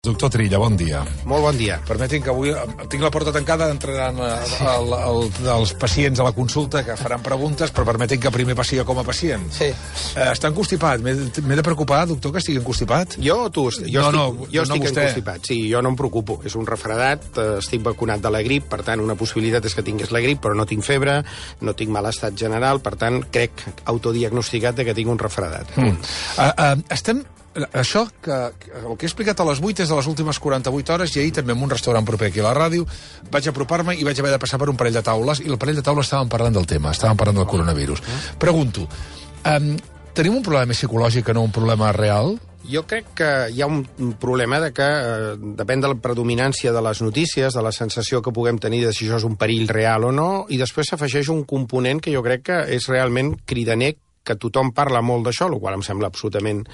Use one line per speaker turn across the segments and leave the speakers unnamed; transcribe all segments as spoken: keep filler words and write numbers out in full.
Doctor Trilla, bon dia.
Molt bon dia.
Permetin que avui tinc la porta tancada, entraran el, el, els pacients a la consulta que faran preguntes, però permetin que primer passi com a pacient.
Sí.
Eh, està encostipat. M'he de preocupar, doctor, que estigui encostipat?
Jo o tu? Jo
no,
estic,
no,
jo
no
estic
vostè.
encostipat. Sí, jo no em preocupo. És un refredat, estic vacunat de la grip, per tant, una possibilitat és que tingués la grip, però no tinc febre, no tinc mal estat general, per tant, crec autodiagnosticat de que tinc un refredat.
Mm. Uh, uh, estem... Això, que, que el que he explicat a les vuit és de les últimes quaranta-vuit hores, i ahir també en un restaurant proper aquí a la ràdio vaig apropar-me i vaig haver de passar per un parell de taules, i el parell de taules estàvem parlant del tema, estàvem parlant del coronavirus. Pregunto, um, tenim un problema psicològic que no un problema real?
Jo crec que hi ha un problema de que eh, depèn de la predominància de les notícies, de la sensació que puguem tenir de si això és un perill real o no, i després s'afegeix un component que jo crec que és realment cridaner, que tothom parla molt d'això, el qual em sembla absolutament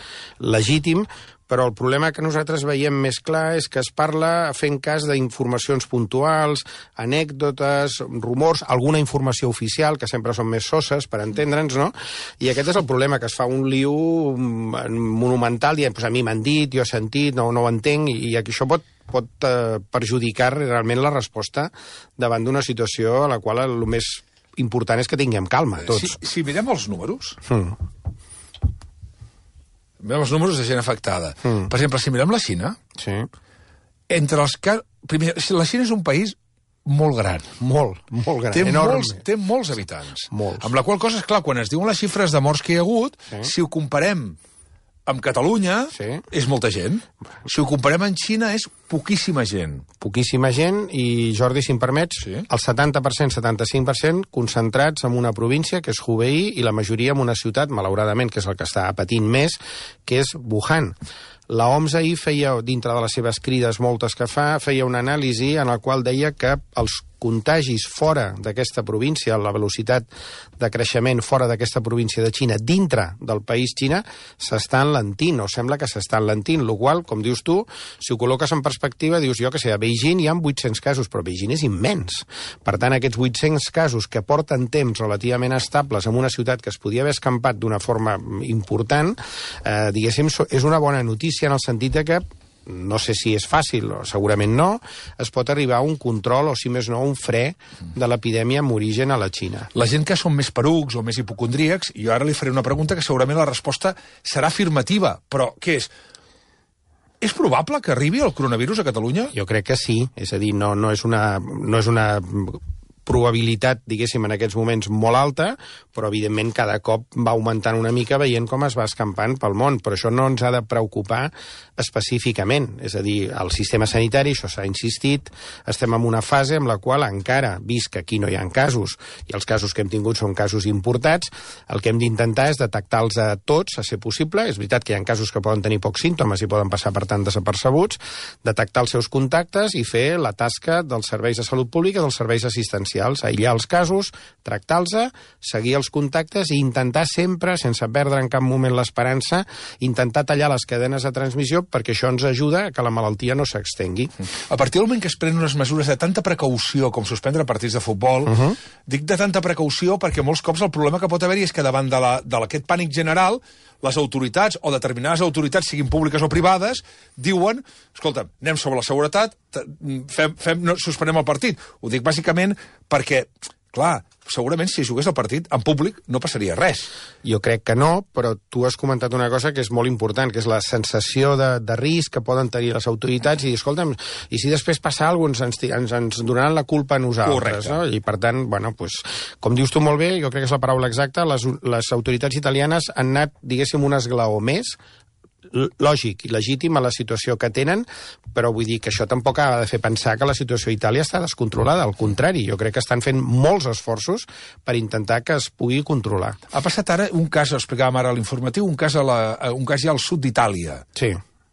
legítim, però el problema que nosaltres veiem més clar és que es parla fent cas d'informacions puntuals, anècdotes, rumors, alguna informació oficial, que sempre són més soses, per entendre'ns, no? I aquest és el problema, que es fa un liu monumental, dient, pues a mi m'han dit, jo he sentit, no, no ho entenc, i això pot pot eh, perjudicar realment la resposta davant d'una situació a la qual el més important és que tinguem calma, tots.
Si, si mirem els números...
Mm.
Mirem els números de gent afectada. Mm. Per exemple, si mirem la Xina...
Sí.
Entre els que... Primer, la Xina és un país molt gran.
Molt, molt gran,
té
enorme.
Molts, té molts habitants.
Molts.
Amb la qual cosa, és clar, quan es diuen les xifres de morts que hi ha hagut, sí. Si ho comparem amb Catalunya, sí. És molta gent. Si ho comparem amb Xina, és poquíssima gent.
Poquíssima gent, i Jordi, si em permets, sí. El setanta per cent, setanta-cinc per cent concentrats en una província, que és Hubei, i la majoria en una ciutat, malauradament, que és el que està patint més, que és Wuhan. La O M S ahir feia, dintre de les seves crides moltes que fa, feia una anàlisi en la qual deia que els contagis fora d'aquesta província, la velocitat de creixement fora d'aquesta província de Xina, dintre del país Xina, s'està enlentint, o sembla que s'està enlentint, el qual, com dius tu, si ho col·loques en perspectiva, dius, jo que sé, a Beijing hi ha vuit-cents casos, però Beijing és immens. Per tant, aquests vuit-cents casos que porten temps relativament estables en una ciutat que es podia haver escampat d'una forma important, eh, diguéssim, és una bona notícia en el sentit de que no sé si és fàcil, o segurament no, es pot arribar a un control, o si més no, un fre de l'epidèmia amb origen a la Xina.
La gent que són més perucs o més hipocondríacs, i jo ara li faré una pregunta que segurament la resposta serà afirmativa, però què és? És probable que arribi el coronavirus a Catalunya?
Jo crec que sí, és a dir, no, no és una... No és una probabilitat, diguéssim, en aquests moments molt alta, però evidentment cada cop va augmentant una mica veient com es va escampant pel món, però això no ens ha de preocupar específicament, és a dir, el sistema sanitari, això s'ha insistit, estem en una fase en la qual encara, vist que aquí no hi ha casos, i els casos que hem tingut són casos importats, el que hem d'intentar és detectar-los a tots, a ser possible, és veritat que hi ha casos que poden tenir pocs símptomes i poden passar per tant desapercebuts, detectar els seus contactes i fer la tasca dels serveis de salut pública, dels serveis assistencials, aïllar els casos, tractar-los, seguir els contactes i intentar sempre, sense perdre en cap moment l'esperança, intentar tallar les cadenes de transmissió perquè això ens ajuda a que la malaltia no s'extengui.
A partir del moment que es prenen unes mesures de tanta precaució com suspendre partits de futbol, uh -huh. dic de tanta precaució perquè molts cops el problema que pot haver-hi és que davant d'aquest pànic general les autoritats, o determinades autoritats, siguin públiques o privades, diuen, escolta, anem sobre la seguretat, fem, fem, no, suspenem el partit. Ho dic bàsicament perquè, clar, segurament si jugués el partit en públic no passaria res.
Jo crec que no, però tu has comentat una cosa que és molt important, que és la sensació de, de risc que poden tenir les autoritats, i escolta'm, i si després passa alguna cosa, ens, ens, ens donaran la culpa a nosaltres, no? I per tant, bueno, pues, com dius tu molt bé, jo crec que és la paraula exacta, les, les autoritats italianes han anat, diguéssim, un esglaó més, lògic i legítim a la situació que tenen, però vull dir que això tampoc ha de fer pensar que la situació a Itàlia està descontrolada, al contrari, jo crec que estan fent molts esforços per intentar que es pugui controlar.
Ha passat ara un cas, ho explicàvem ara a l'informatiu, un cas, a la, un cas ja al sud d'Itàlia.
Sí.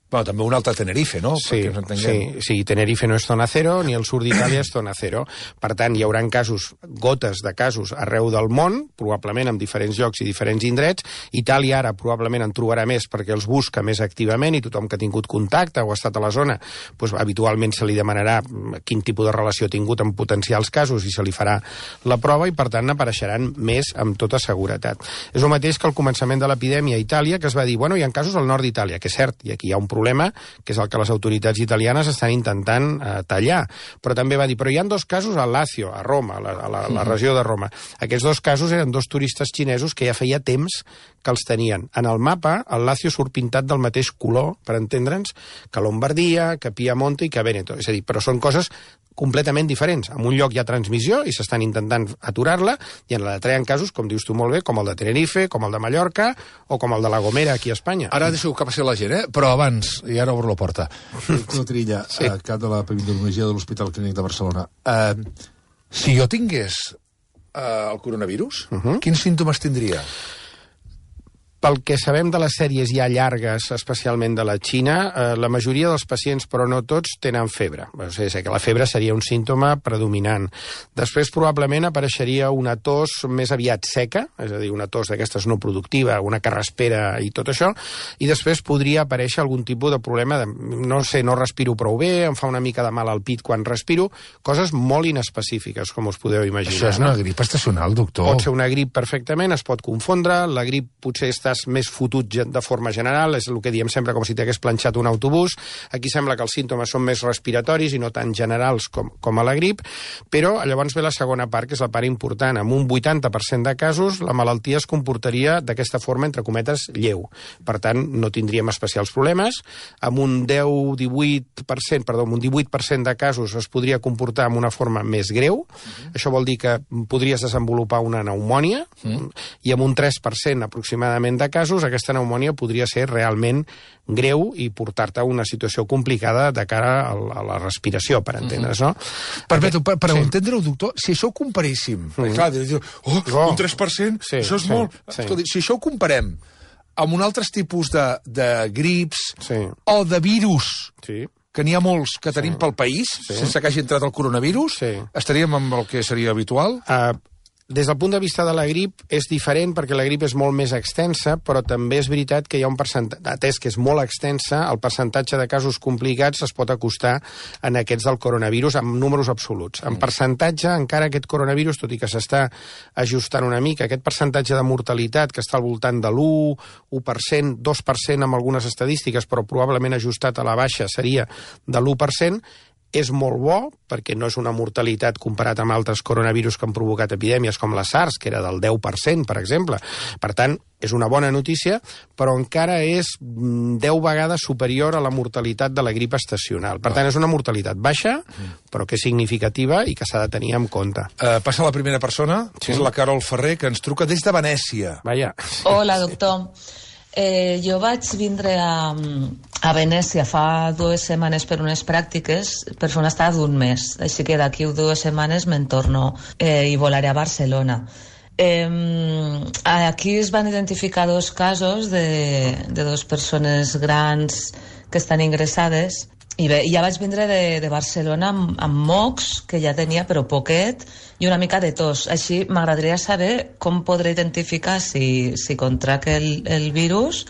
Bueno, també un altre a Tenerife, no?
Sí, sí, sí, Tenerife no és zona cero, ni el sud d'Itàlia és zona cero. Per tant, hi haurà casos, gotes de casos arreu del món, probablement en diferents llocs i diferents indrets. Itàlia ara probablement en trobarà més perquè els busca més activament i tothom que ha tingut contacte o ha estat a la zona, doncs, habitualment se li demanarà quin tipus de relació ha tingut amb potencials casos i se li farà la prova i, per tant, n'apareixeran més amb tota seguretat. És el mateix que al començament de l'epidèmia a Itàlia, que es va dir, bueno, hi ha casos al nord d'Itàlia, que és cert, i aquí hi ha un problema problema, que és el que les autoritats italianes estan intentant eh, tallar. Però també va dir, però hi ha dos casos a Lazio, a Roma, a la, a la, a la regió de Roma. Aquests dos casos eren dos turistes xinesos que ja feia temps que els tenien. En el mapa, el Lazio surt pintat del mateix color, per entendre'ns, que Lombardia, que Piemonte i que Veneto. És a dir, però són coses completament diferents. En un lloc hi ha transmissió i s'estan intentant aturar-la, i en l'altre hi ha casos, com dius tu molt bé, com el de Tenerife, com el de Mallorca o com el de La Gomera, aquí a Espanya.
Ara deixo que passi la gent, eh? Però abans, i ara obro la porta.
Doctor Trilla, sí. uh, cap de la epidemiologia de l'Hospital Clínic de Barcelona. Uh,
si jo tingués uh, el coronavirus, uh -huh. quins símptomes tindria?
Pel que sabem de les sèries ja llargues, especialment de la Xina, eh, la majoria dels pacients, però no tots, tenen febre. O sigui, que la febre seria un símptoma predominant. Després, probablement, apareixeria una tos més aviat seca, és a dir, una tos d'aquestes no productiva, una carraspera i tot això, i després podria aparèixer algun tipus de problema de, no sé, no respiro prou bé, em fa una mica de mal al pit quan respiro, coses molt inespecífiques, com us podeu imaginar.
Això és una grip estacional, doctor.
Pot ser una grip perfectament, es pot confondre, la grip potser està més fotut de forma general, és el que diem sempre com si t'hagués planxat un autobús. Aquí sembla que els símptomes són més respiratoris i no tan generals com, com a la grip, però llavors ve la segona part, que és la part important. Amb un vuitanta per cent de casos, la malaltia es comportaria d'aquesta forma, entre cometes, lleu. Per tant, no tindríem especials problemes. Amb un deu divuit per cent, perdó, amb un divuit per cent de casos es podria comportar amb una forma més greu. Uh-huh. Això vol dir que podries desenvolupar una pneumònia, uh-huh. i amb un tres per cent aproximadament de casos aquesta pneumònia podria ser realment greu i portar-te a una situació complicada de cara a la respiració, per entendre's, no?
Permeto, per, per sí. entendre-ho, doctor, si això ho comparéssim, mm. clar, diu, oh, oh, un tres per cent, sí, això és sí, molt... Sí. Escolta, si això ho comparem amb un altre tipus de, de grips sí. o de virus, sí. que n'hi ha molts que tenim sí. pel país, sí. sense que hagi entrat el coronavirus, sí. estaríem amb el que seria habitual? Uh,
Des del punt de vista de la grip és diferent perquè la grip és molt més extensa, però també és veritat que hi ha un percentatge, atès que és molt extensa, el percentatge de casos complicats es pot acostar en aquests del coronavirus amb números absoluts. En percentatge, encara aquest coronavirus, tot i que s'està ajustant una mica, aquest percentatge de mortalitat que està al voltant de l'u, u per cent, dos per cent amb algunes estadístiques, però probablement ajustat a la baixa seria de l'u per cent, és molt bo, perquè no és una mortalitat comparat amb altres coronavirus que han provocat epidèmies com la SARS, que era del deu per cent, per exemple. Per tant, és una bona notícia, però encara és deu vegades superior a la mortalitat de la grip estacional. Per tant, és una mortalitat baixa, però que és significativa i que s'ha de tenir en compte.
Uh, passa la primera persona, sí. és la Carol Ferrer, que ens truca des de Venècia.
Vaja.
Hola, doctor. Eh, jo vaig vindre a, a Venècia fa dues setmanes per unes pràctiques, per fer una estada d'un mes. Així que d'aquí dues setmanes me'n torno eh, i volaré a Barcelona. Eh, aquí es van identificar dos casos de, de dues persones grans que estan ingressades. I bé, ja vaig vindre de, de Barcelona amb, amb mocs, que ja tenia, però poquet, i una mica de tos. Així m'agradaria saber com podré identificar si, si contrac el, el virus,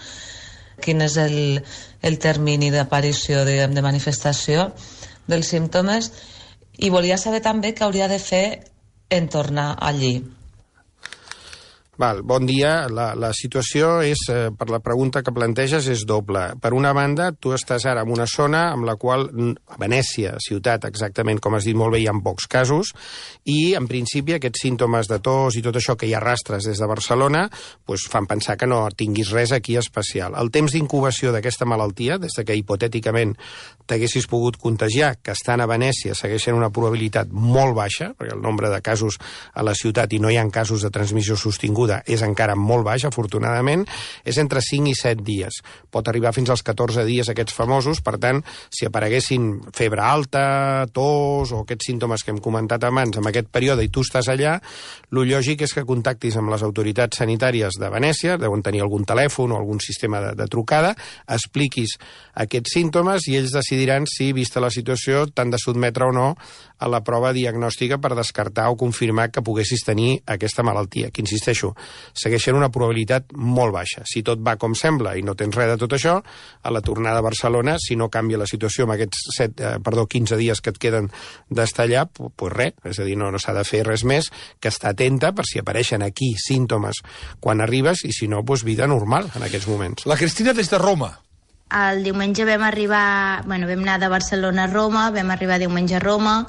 quin és el, el termini d'aparició, de, de manifestació dels símptomes, i volia saber també què hauria de fer en tornar allí.
Val, bon dia. La, la situació és, eh, per la pregunta que planteges, és doble. Per una banda, tu estàs ara en una zona amb la qual, a Venècia, ciutat, exactament com has dit molt bé, hi ha pocs casos, i en principi aquests símptomes de tos i tot això que hi arrastres des de Barcelona pues, fan pensar que no tinguis res aquí especial. El temps d'incubació d'aquesta malaltia, des de que hipotèticament t'haguessis pogut contagiar, que estan a Venècia, segueixen una probabilitat molt baixa, perquè el nombre de casos a la ciutat i no hi ha casos de transmissió sostinguda és encara molt baix, afortunadament, és entre cinc i set dies. Pot arribar fins als catorze dies aquests famosos, per tant, si apareguessin febre alta, tos o aquests símptomes que hem comentat abans en aquest període i tu estàs allà, lo lògic és que contactis amb les autoritats sanitàries de Venècia, deuen tenir algun telèfon o algun sistema de, de trucada, expliquis aquests símptomes i ells decidiran si, vista la situació, t'han de sotmetre o no a la prova diagnòstica per descartar o confirmar que poguessis tenir aquesta malaltia, que insisteixo, segueixen una probabilitat molt baixa. Si tot va com sembla i no tens res de tot això, a la tornada a Barcelona, si no canvia la situació amb aquests set, eh, perdó, quinze dies que et queden d'estar allà, doncs pues res, és a dir, no, no s'ha de fer res més que estar atenta per si apareixen aquí símptomes quan arribes i si no, doncs vida normal en aquests moments.
La Cristina des de Roma.
El diumenge vam arribar, bueno, vam anar de Barcelona a Roma, vam arribar diumenge a Roma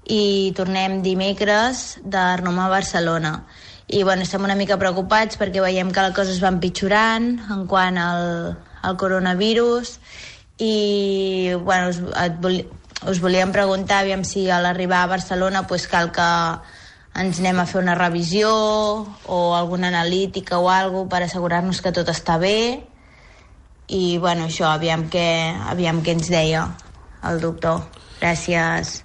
i tornem dimecres de Roma a Barcelona. I bueno, estem una mica preocupats perquè veiem que les coses van pitjorant en quant al, al coronavirus i bueno, us, vol, us volíem preguntar aviam si a l'arribar a Barcelona pues, cal que ens anem a fer una revisió o alguna analítica o alguna cosa per assegurar-nos que tot està bé. I, bueno, això, aviam què, aviam què ens deia el doctor. Gràcies.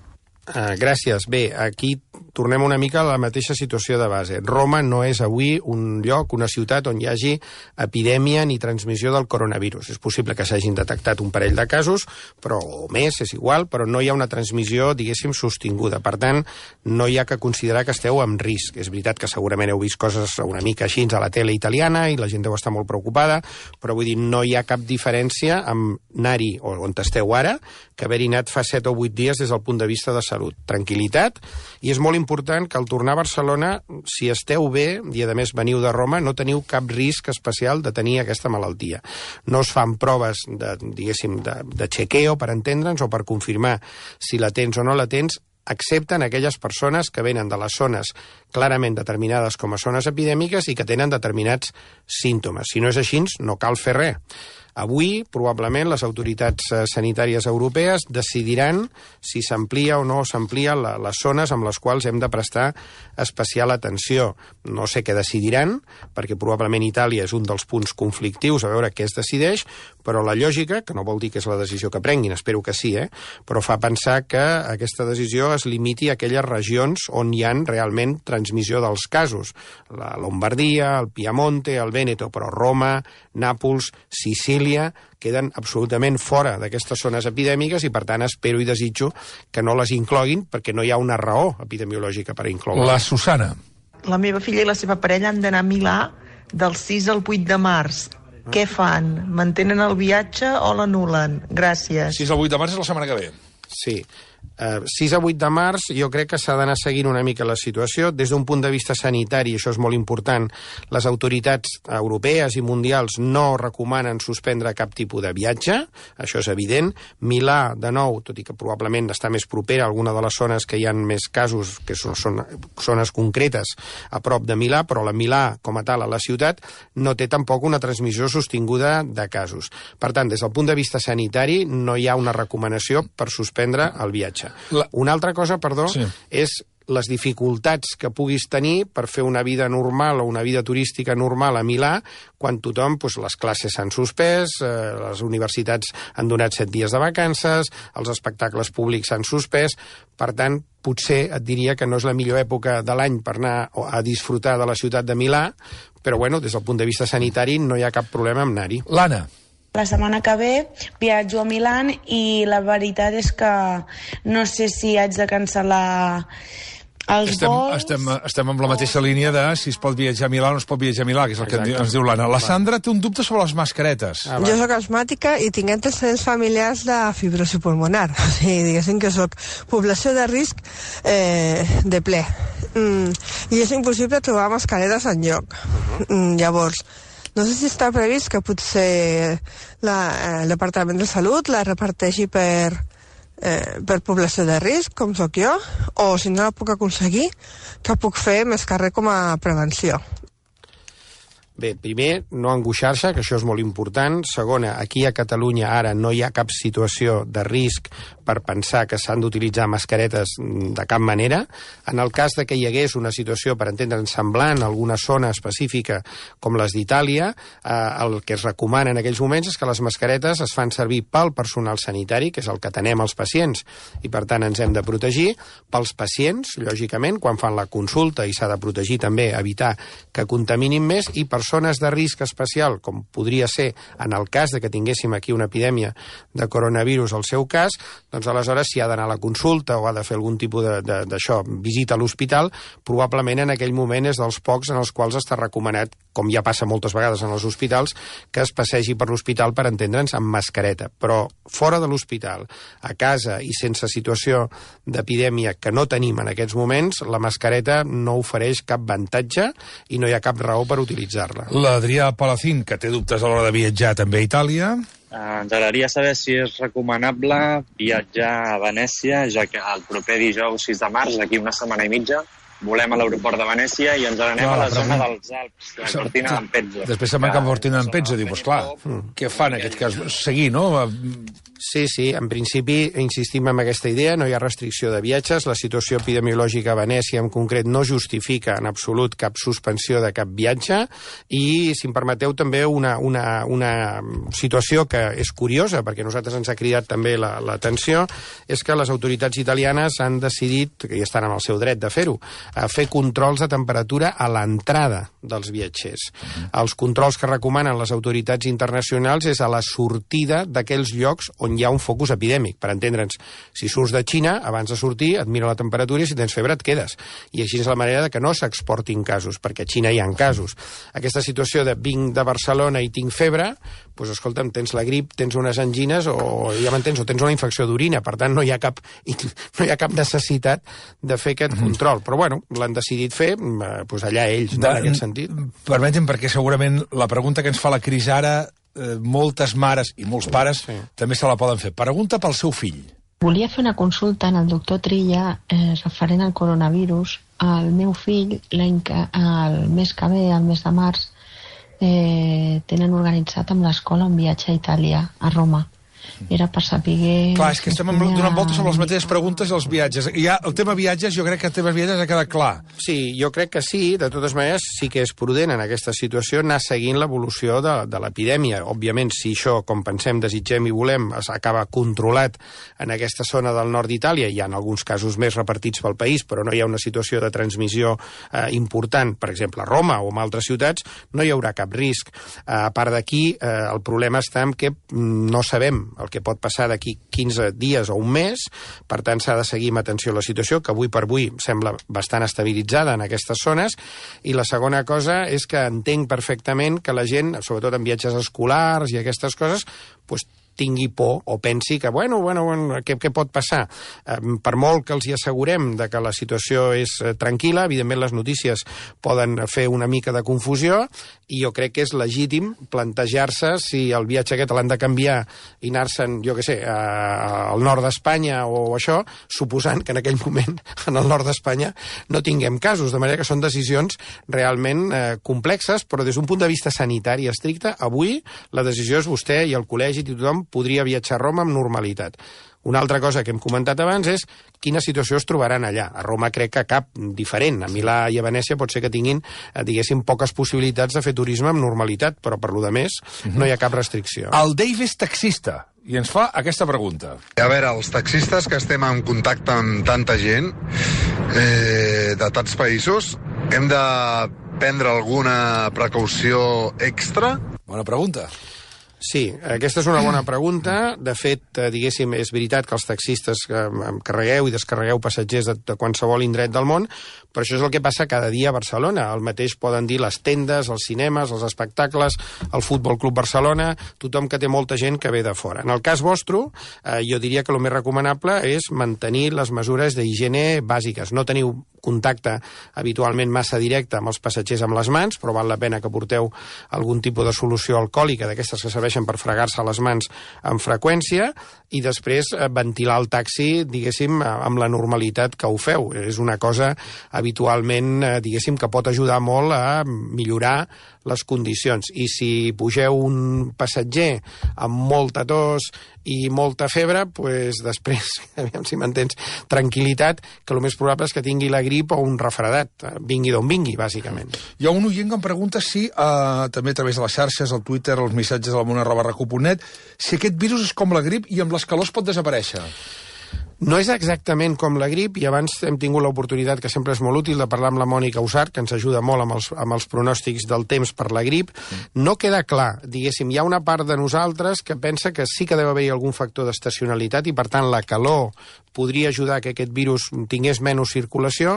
Uh, gràcies. Bé, aquí tornem una mica a la mateixa situació de base. Roma no és avui un lloc, una ciutat on hi hagi epidèmia ni transmissió del coronavirus. És possible que s'hagin detectat un parell de casos, però o més, és igual, però no hi ha una transmissió, diguéssim, sostinguda. Per tant, no hi ha que considerar que esteu en risc. És veritat que segurament heu vist coses una mica així a la tele italiana i la gent deu estar molt preocupada, però vull dir, no hi ha cap diferència amb anar-hi, o on esteu ara, que haver-hi anat fa set o vuit dies des del punt de vista de salut. Tranquil·litat, i és molt important que al tornar a Barcelona, si esteu bé, i a més veniu de Roma, no teniu cap risc especial de tenir aquesta malaltia. No es fan proves de, diguéssim, de, de chequeo, per entendre'ns, o per confirmar si la tens o no la tens, excepte en aquelles persones que venen de les zones clarament determinades com a zones epidèmiques i que tenen determinats símptomes. Si no és així, no cal fer res. Avui, probablement, les autoritats sanitàries europees decidiran si s'amplia o no s'amplia la, les zones amb les quals hem de prestar especial atenció. No sé què decidiran, perquè probablement Itàlia és un dels punts conflictius, a veure què es decideix, però la lògica, que no vol dir que és la decisió que prenguin, espero que sí, eh? però fa pensar que aquesta decisió es limiti a aquelles regions on hi ha realment transmissió dels casos. La Lombardia, el Piemonte, el Vèneto, però Roma, Nàpols, Sicília, queden absolutament fora d'aquestes zones epidèmiques i, per tant, espero i desitjo que no les incloguin perquè no hi ha una raó epidemiològica per incloure.
La Susana.
La meva filla i la seva parella han d'anar a Milà del sis al vuit de març. Ah. Què fan? Mantenen el viatge o l'anulen? Gràcies.
sis al vuit de març és la setmana que ve.
Sí. Uh, sis a vuit de març jo crec que s'ha d'anar seguint una mica la situació. Des d'un punt de vista sanitari, això és molt important, les autoritats europees i mundials no recomanen suspendre cap tipus de viatge, això és evident. Milà, de nou, tot i que probablement està més propera a alguna de les zones que hi ha més casos, que són, són zones concretes a prop de Milà, però la Milà, com a tal, a la ciutat, no té tampoc una transmissió sostinguda de casos. Per tant, des del punt de vista sanitari, no hi ha una recomanació per suspendre el viatge. La... Una altra cosa, perdó, sí. és les dificultats que puguis tenir per fer una vida normal o una vida turística normal a Milà quan tothom, doncs, les classes s'han suspès, eh, les universitats han donat set dies de vacances, els espectacles públics s'han suspès. Per tant, potser et diria que no és la millor època de l'any per anar a disfrutar de la ciutat de Milà, però bueno, des del punt de vista sanitari no hi ha cap problema amb anar-hi.
L'Anna.
La setmana que ve viatjo a Milà i la veritat és que no sé si haig de cancel·lar els
estem,
vols...
Estem, estem amb la mateixa línia de si es pot viatjar a Milà o no es pot viatjar a Milà, que és el Exacte. que ens diu l'Anna. La Sandra té un dubte sobre les mascaretes.
Ah, jo soc asmàtica i tinc antecedents familiars de fibrosi pulmonar. O sigui, diguéssim que soc població de risc eh, de ple. Mm, I és impossible trobar mascaretes enlloc. Mm, llavors, no sé si està previst que potser la, eh, el Departament de Salut la reparteixi per, eh, per població de risc, com sóc jo, o si no la puc aconseguir, que puc fer més que res com a prevenció.
Bé, primer, no angoixar-se, que això és molt important. Segona, aquí a Catalunya ara no hi ha cap situació de risc per pensar que s'han d'utilitzar mascaretes de cap manera. En el cas de que hi hagués una situació, per entendre'n, semblant a alguna zona específica com les d'Itàlia, eh, el que es recomana en aquells moments és que les mascaretes es fan servir pel personal sanitari, que és el que atenem als pacients, i per tant ens hem de protegir, pels pacients, lògicament, quan fan la consulta, i s'ha de protegir també, evitar que contaminin més, i persones de risc especial, com podria ser en el cas de que tinguéssim aquí una epidèmia de coronavirus al seu cas, doncs aleshores si ha d'anar a la consulta o ha de fer algun tipus d'això, visita a l'hospital, probablement en aquell moment és dels pocs en els quals està recomanat, com ja passa moltes vegades en els hospitals, que es passegi per l'hospital, per entendre'ns, amb mascareta. Però fora de l'hospital, a casa i sense situació d'epidèmia que no tenim en aquests moments, la mascareta no ofereix cap avantatge i no hi ha cap raó per utilitzar-la.
L'Adrià Palacín, que té dubtes a l'hora de viatjar també a Itàlia.
ens agradaria saber si és recomanable viatjar a Venècia, ja que el proper dijous sis de març, d'aquí una setmana i mitja, volem a l'aeroport de Venècia i ens n'anem a la zona dels Alps, la Cortina d'Ampezzo.
Després se'n van cap a Cortina d'Ampezzo, diu, doncs clar, què fan en aquest cas? Seguir, no?
Sí, sí, en principi insistim en aquesta idea, no hi ha restricció de viatges, la situació epidemiològica a Venècia en concret no justifica en absolut cap suspensió de cap viatge i, si em permeteu, també una, una, una situació que és curiosa, perquè a nosaltres ens ha cridat també l'atenció, la, és que les autoritats italianes han decidit, que ja estan en el seu dret de fer-ho, a fer controls de temperatura a l'entrada dels viatgers. Mm. Els controls que recomanen les autoritats internacionals és a la sortida d'aquells llocs on hi ha un focus epidèmic. Per entendre'ns, si surts de Xina, abans de sortir, et mira la temperatura i si tens febre et quedes. I així és la manera de que no s'exportin casos, perquè a Xina hi ha casos. Aquesta situació de vinc de Barcelona i tinc febre, doncs escolta'm, tens la grip, tens unes angines o ja m'entens, o tens una infecció d'orina, per tant no hi ha cap, no hi ha cap necessitat de fer aquest control. Però bueno, l'han decidit fer, doncs allà ells, no, en aquest sentit.
Permeti'm, perquè segurament la pregunta que ens fa la Cris ara, eh, moltes mares i molts pares sí. també se la poden fer. Pregunta pel seu fill.
Volia fer una consulta al doctor Trilla eh, referent al coronavirus. El meu fill, l'any que, el mes que ve, el mes de març, eh, tenen organitzat amb l'escola un viatge a Itàlia, a Roma. Era per saber...
Clar, és que estem donant voltes sobre les mateixes preguntes i els viatges. Ja, el tema viatges, jo crec que el tema viatges ha quedat clar.
Sí, jo crec que sí. De totes maneres, sí que és prudent en aquesta situació anar seguint l'evolució de, de l'epidèmia. Òbviament, si això, com pensem, desitgem i volem, acaba controlat en aquesta zona del nord d'Itàlia, hi ha alguns casos més repartits pel país, però no hi ha una situació de transmissió eh, important, per exemple, a Roma o en altres ciutats, no hi haurà cap risc. Eh, a part d'aquí, eh, el problema està en que no sabem el que pot passar d'aquí quinze dies o un mes, per tant s'ha de seguir amb atenció a la situació, que avui per avui sembla bastant estabilitzada en aquestes zones, i la segona cosa és que entenc perfectament que la gent, sobretot en viatges escolars i aquestes coses, doncs tingui por o pensi que, bueno, bueno, bueno què, què pot passar? Eh, per molt que els hi assegurem de que la situació és eh, tranquil·la, evidentment les notícies poden fer una mica de confusió i jo crec que és legítim plantejar-se si el viatge aquest l'han de canviar i anar-se'n, jo què sé, a, al nord d'Espanya o això, suposant que en aquell moment en el nord d'Espanya no tinguem casos, de manera que són decisions realment eh, complexes, però des d'un punt de vista sanitari estricte, avui la decisió és vostè i el col·legi i tothom podria viatjar a Roma amb normalitat. Una altra cosa que hem comentat abans és quina situació es trobaran allà. A Roma crec que cap diferent. A Milà i a Venècia pot ser que tinguin, diguéssim, poques possibilitats de fer turisme amb normalitat, però per lo de més no hi ha cap restricció.
El Dave és taxista i ens fa aquesta pregunta.
A veure, els taxistes que estem en contacte amb tanta gent eh, de tants països, hem de prendre alguna precaució extra?
Bona pregunta.
Sí, aquesta és una bona pregunta. De fet, diguéssim, és veritat que els taxistes carregueu i descarregueu passatgers de, de qualsevol indret del món, però això és el que passa cada dia a Barcelona. El mateix poden dir les tendes, els cinemes, els espectacles, el Futbol Club Barcelona, tothom que té molta gent que ve de fora. En el cas vostre, eh, jo diria que el més recomanable és mantenir les mesures d'higiene bàsiques. No teniu contacte habitualment massa directe amb els passatgers amb les mans, però val la pena que porteu algun tipus de solució alcohòlica d'aquestes que serveixen per fregar-se les mans amb freqüència i després ventilar el taxi, diguéssim, amb la normalitat que ho feu. És una cosa habitualment, diguéssim, que pot ajudar molt a millorar les condicions. I si pugeu un passatger amb molta tos i molta febre, doncs després, aviam si m'entens, tranquil·litat, que el més probable és que tingui la grip o un refredat, vingui d'on vingui, bàsicament.
Hi ha un oient que em pregunta si, eh, també a través de les xarxes, el Twitter, els missatges de la mona arroba recu punt net, si aquest virus és com la grip i amb les calors pot desaparèixer.
No és exactament com la grip, i abans hem tingut l'oportunitat, que sempre és molt útil, de parlar amb la Mònica Usart, que ens ajuda molt amb els, amb els pronòstics del temps per la grip. No queda clar, diguéssim, hi ha una part de nosaltres que pensa que sí que deu haver algun factor d'estacionalitat i, per tant, la calor podria ajudar que aquest virus tingués menys circulació,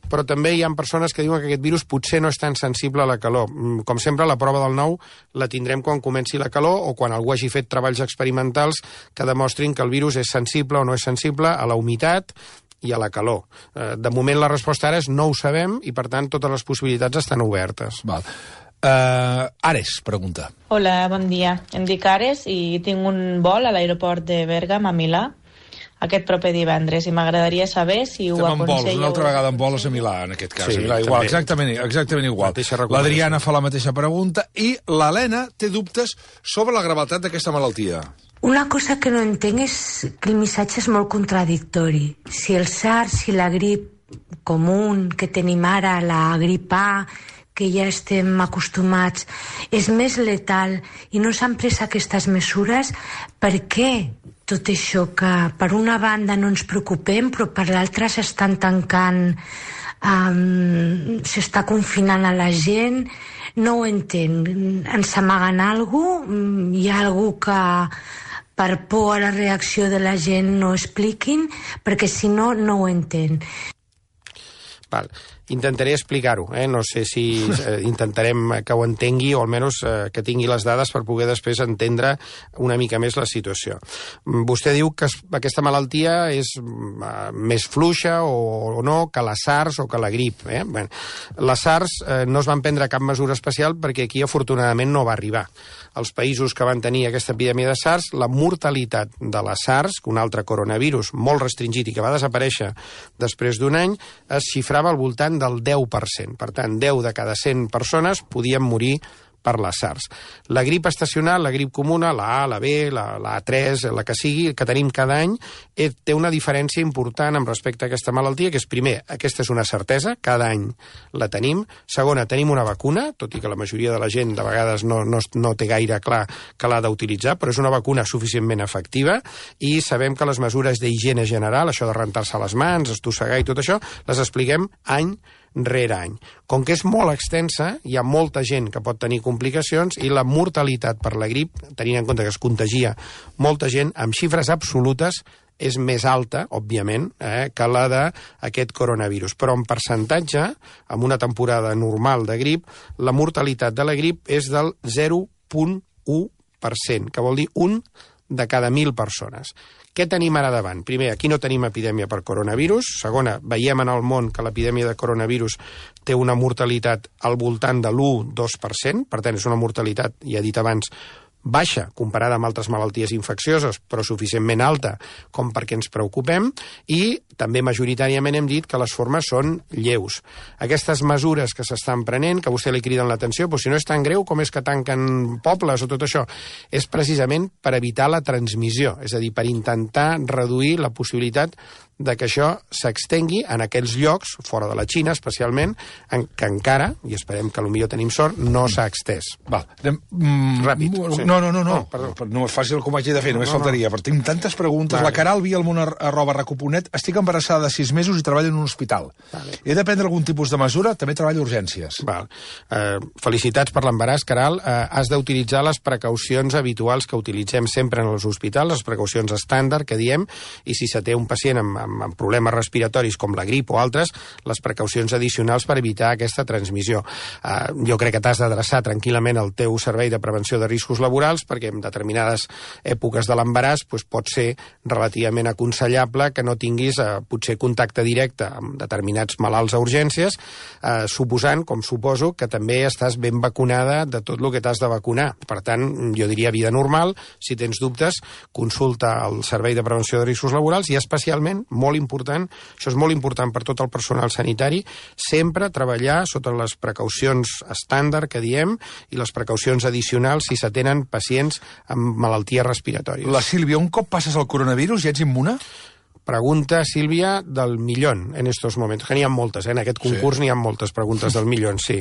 però també hi ha persones que diuen que aquest virus potser no és tan sensible a la calor. Com sempre, la prova del nou la tindrem quan comenci la calor o quan algú hagi fet treballs experimentals que demostrin que el virus és sensible o no és sensible a la humitat i a la calor. De moment la resposta ara és no ho sabem i, per tant, totes les possibilitats estan obertes.
Val. Uh, Ares, pregunta.
Hola, bon dia. Em dic Ares i tinc un vol a l'aeroport de Bèrgam a Milà aquest proper divendres i m'agradaria saber si ho
aconselleu...
aconselleu...
Estem en vols, una altra vegada en vols a Milà, en aquest cas.
Sí,
a Milà, igual, exactament, exactament igual. L'Adriana fa la mateixa pregunta i l'Helena té dubtes sobre la gravetat d'aquesta malaltia.
Una cosa que no entenc és que el missatge és molt contradictori. Si el SARS, si la grip comú que tenim ara, la grip A, que ja estem acostumats, és més letal i no s'han pres aquestes mesures, per què tot això que per una banda no ens preocupem però per l'altra s'estan tancant, um, s'està confinant a la gent? No ho entenc. Ens amaguen alguna cosa? Hi ha algú que per por a la reacció de la gent no expliquin? Perquè si no, no ho entenc.
Val. Intentaré explicar-ho, eh? No sé si eh, intentarem que ho entengui o almenys eh, que tingui les dades per poder després entendre una mica més la situació. Vostè diu que es, aquesta malaltia és uh, més fluixa o, o no que la SARS o que la grip. Eh? Bé, la SARS eh, no es van prendre cap mesura especial perquè aquí afortunadament no va arribar. Els països que van tenir aquesta epidèmia de SARS, la mortalitat de la SARS, un altre coronavirus molt restringit i que va desaparèixer després d'un any, es xifrava al voltant del deu per cent. Per tant, deu de cada cent persones podien morir per la SARS. La grip estacional, la grip comuna, la A, la B, la, la A tres, la que sigui, que tenim cada any, eh, té una diferència important amb respecte a aquesta malaltia, que és, primer, aquesta és una certesa, cada any la tenim. Segona, tenim una vacuna, tot i que la majoria de la gent de vegades no, no, no té gaire clar que l'ha d'utilitzar, però és una vacuna suficientment efectiva i sabem que les mesures d'higiene general, això de rentar-se les mans, estossegar i tot això, les expliquem any rere any. Com que és molt extensa, hi ha molta gent que pot tenir complicacions i la mortalitat per la grip, tenint en compte que es contagia molta gent, amb xifres absolutes és més alta, òbviament, eh, que la d'aquest coronavirus. Però en percentatge, en una temporada normal de grip, la mortalitat de la grip és del zero coma u per cent, que vol dir un de cada mil persones. Què tenim ara davant? Primer, aquí no tenim epidèmia per coronavirus. Segona, veiem en el món que l'epidèmia de coronavirus té una mortalitat al voltant de l'u coma dos per cent, per tant, és una mortalitat, ja he dit abans, baixa comparada amb altres malalties infeccioses, però suficientment alta com perquè ens preocupem, i també majoritàriament hem dit que les formes són lleus. Aquestes mesures que s'estan prenent, que a vostè li criden l'atenció, però si no és tan greu com és que tanquen pobles o tot això, és precisament per evitar la transmissió, és a dir, per intentar reduir la possibilitat de que això s'extengui en aquells llocs, fora de la Xina especialment, en que encara, i esperem que potser tenim sort, no s'ha extès.
Val. Mm,
Ràpid. Sí.
No, no, no, no.
Oh, perdó.
No és fàcil com haig de fer, només
no, no,
faltaria, però tinc tantes preguntes.
Vale.
La Caral Vialmont arroba recuponet, estic embarassada de sis mesos i treballo en un hospital.
Vale.
He de prendre algun tipus de mesura, també treballo a urgències.
Val. Eh, felicitats per l'embaràs, Caral. Eh, has d'utilitzar les precaucions habituals que utilitzem sempre en els hospitals, les precaucions estàndard que diem, i si se té un pacient amb, amb, amb problemes respiratoris com la grip o altres, les precaucions addicionals per evitar aquesta transmissió. Eh, jo crec que t'has d'adreçar tranquil·lament al teu servei de prevenció de riscos laborals, perquè en determinades èpoques de l'embaràs pues, pot ser relativament aconsellable que no tinguis eh, potser contacte directe amb determinats malalts a urgències, eh, suposant, com suposo, que també estàs ben vacunada de tot el que t'has de vacunar. Per tant, jo diria vida normal. Si tens dubtes, consulta el servei de prevenció de riscos laborals i especialment, molt important, això és molt important per tot el personal sanitari, sempre treballar sota les precaucions estàndard que diem i les precaucions addicionals si s'atenen pacients amb malalties respiratòries.
La Sílvia, un cop passes el coronavirus ja ets immune?
Pregunta, Sílvia, del millón en estos momentos. Que n'hi ha moltes, eh? En aquest concurs sí. N'hi ha moltes preguntes del millón, sí.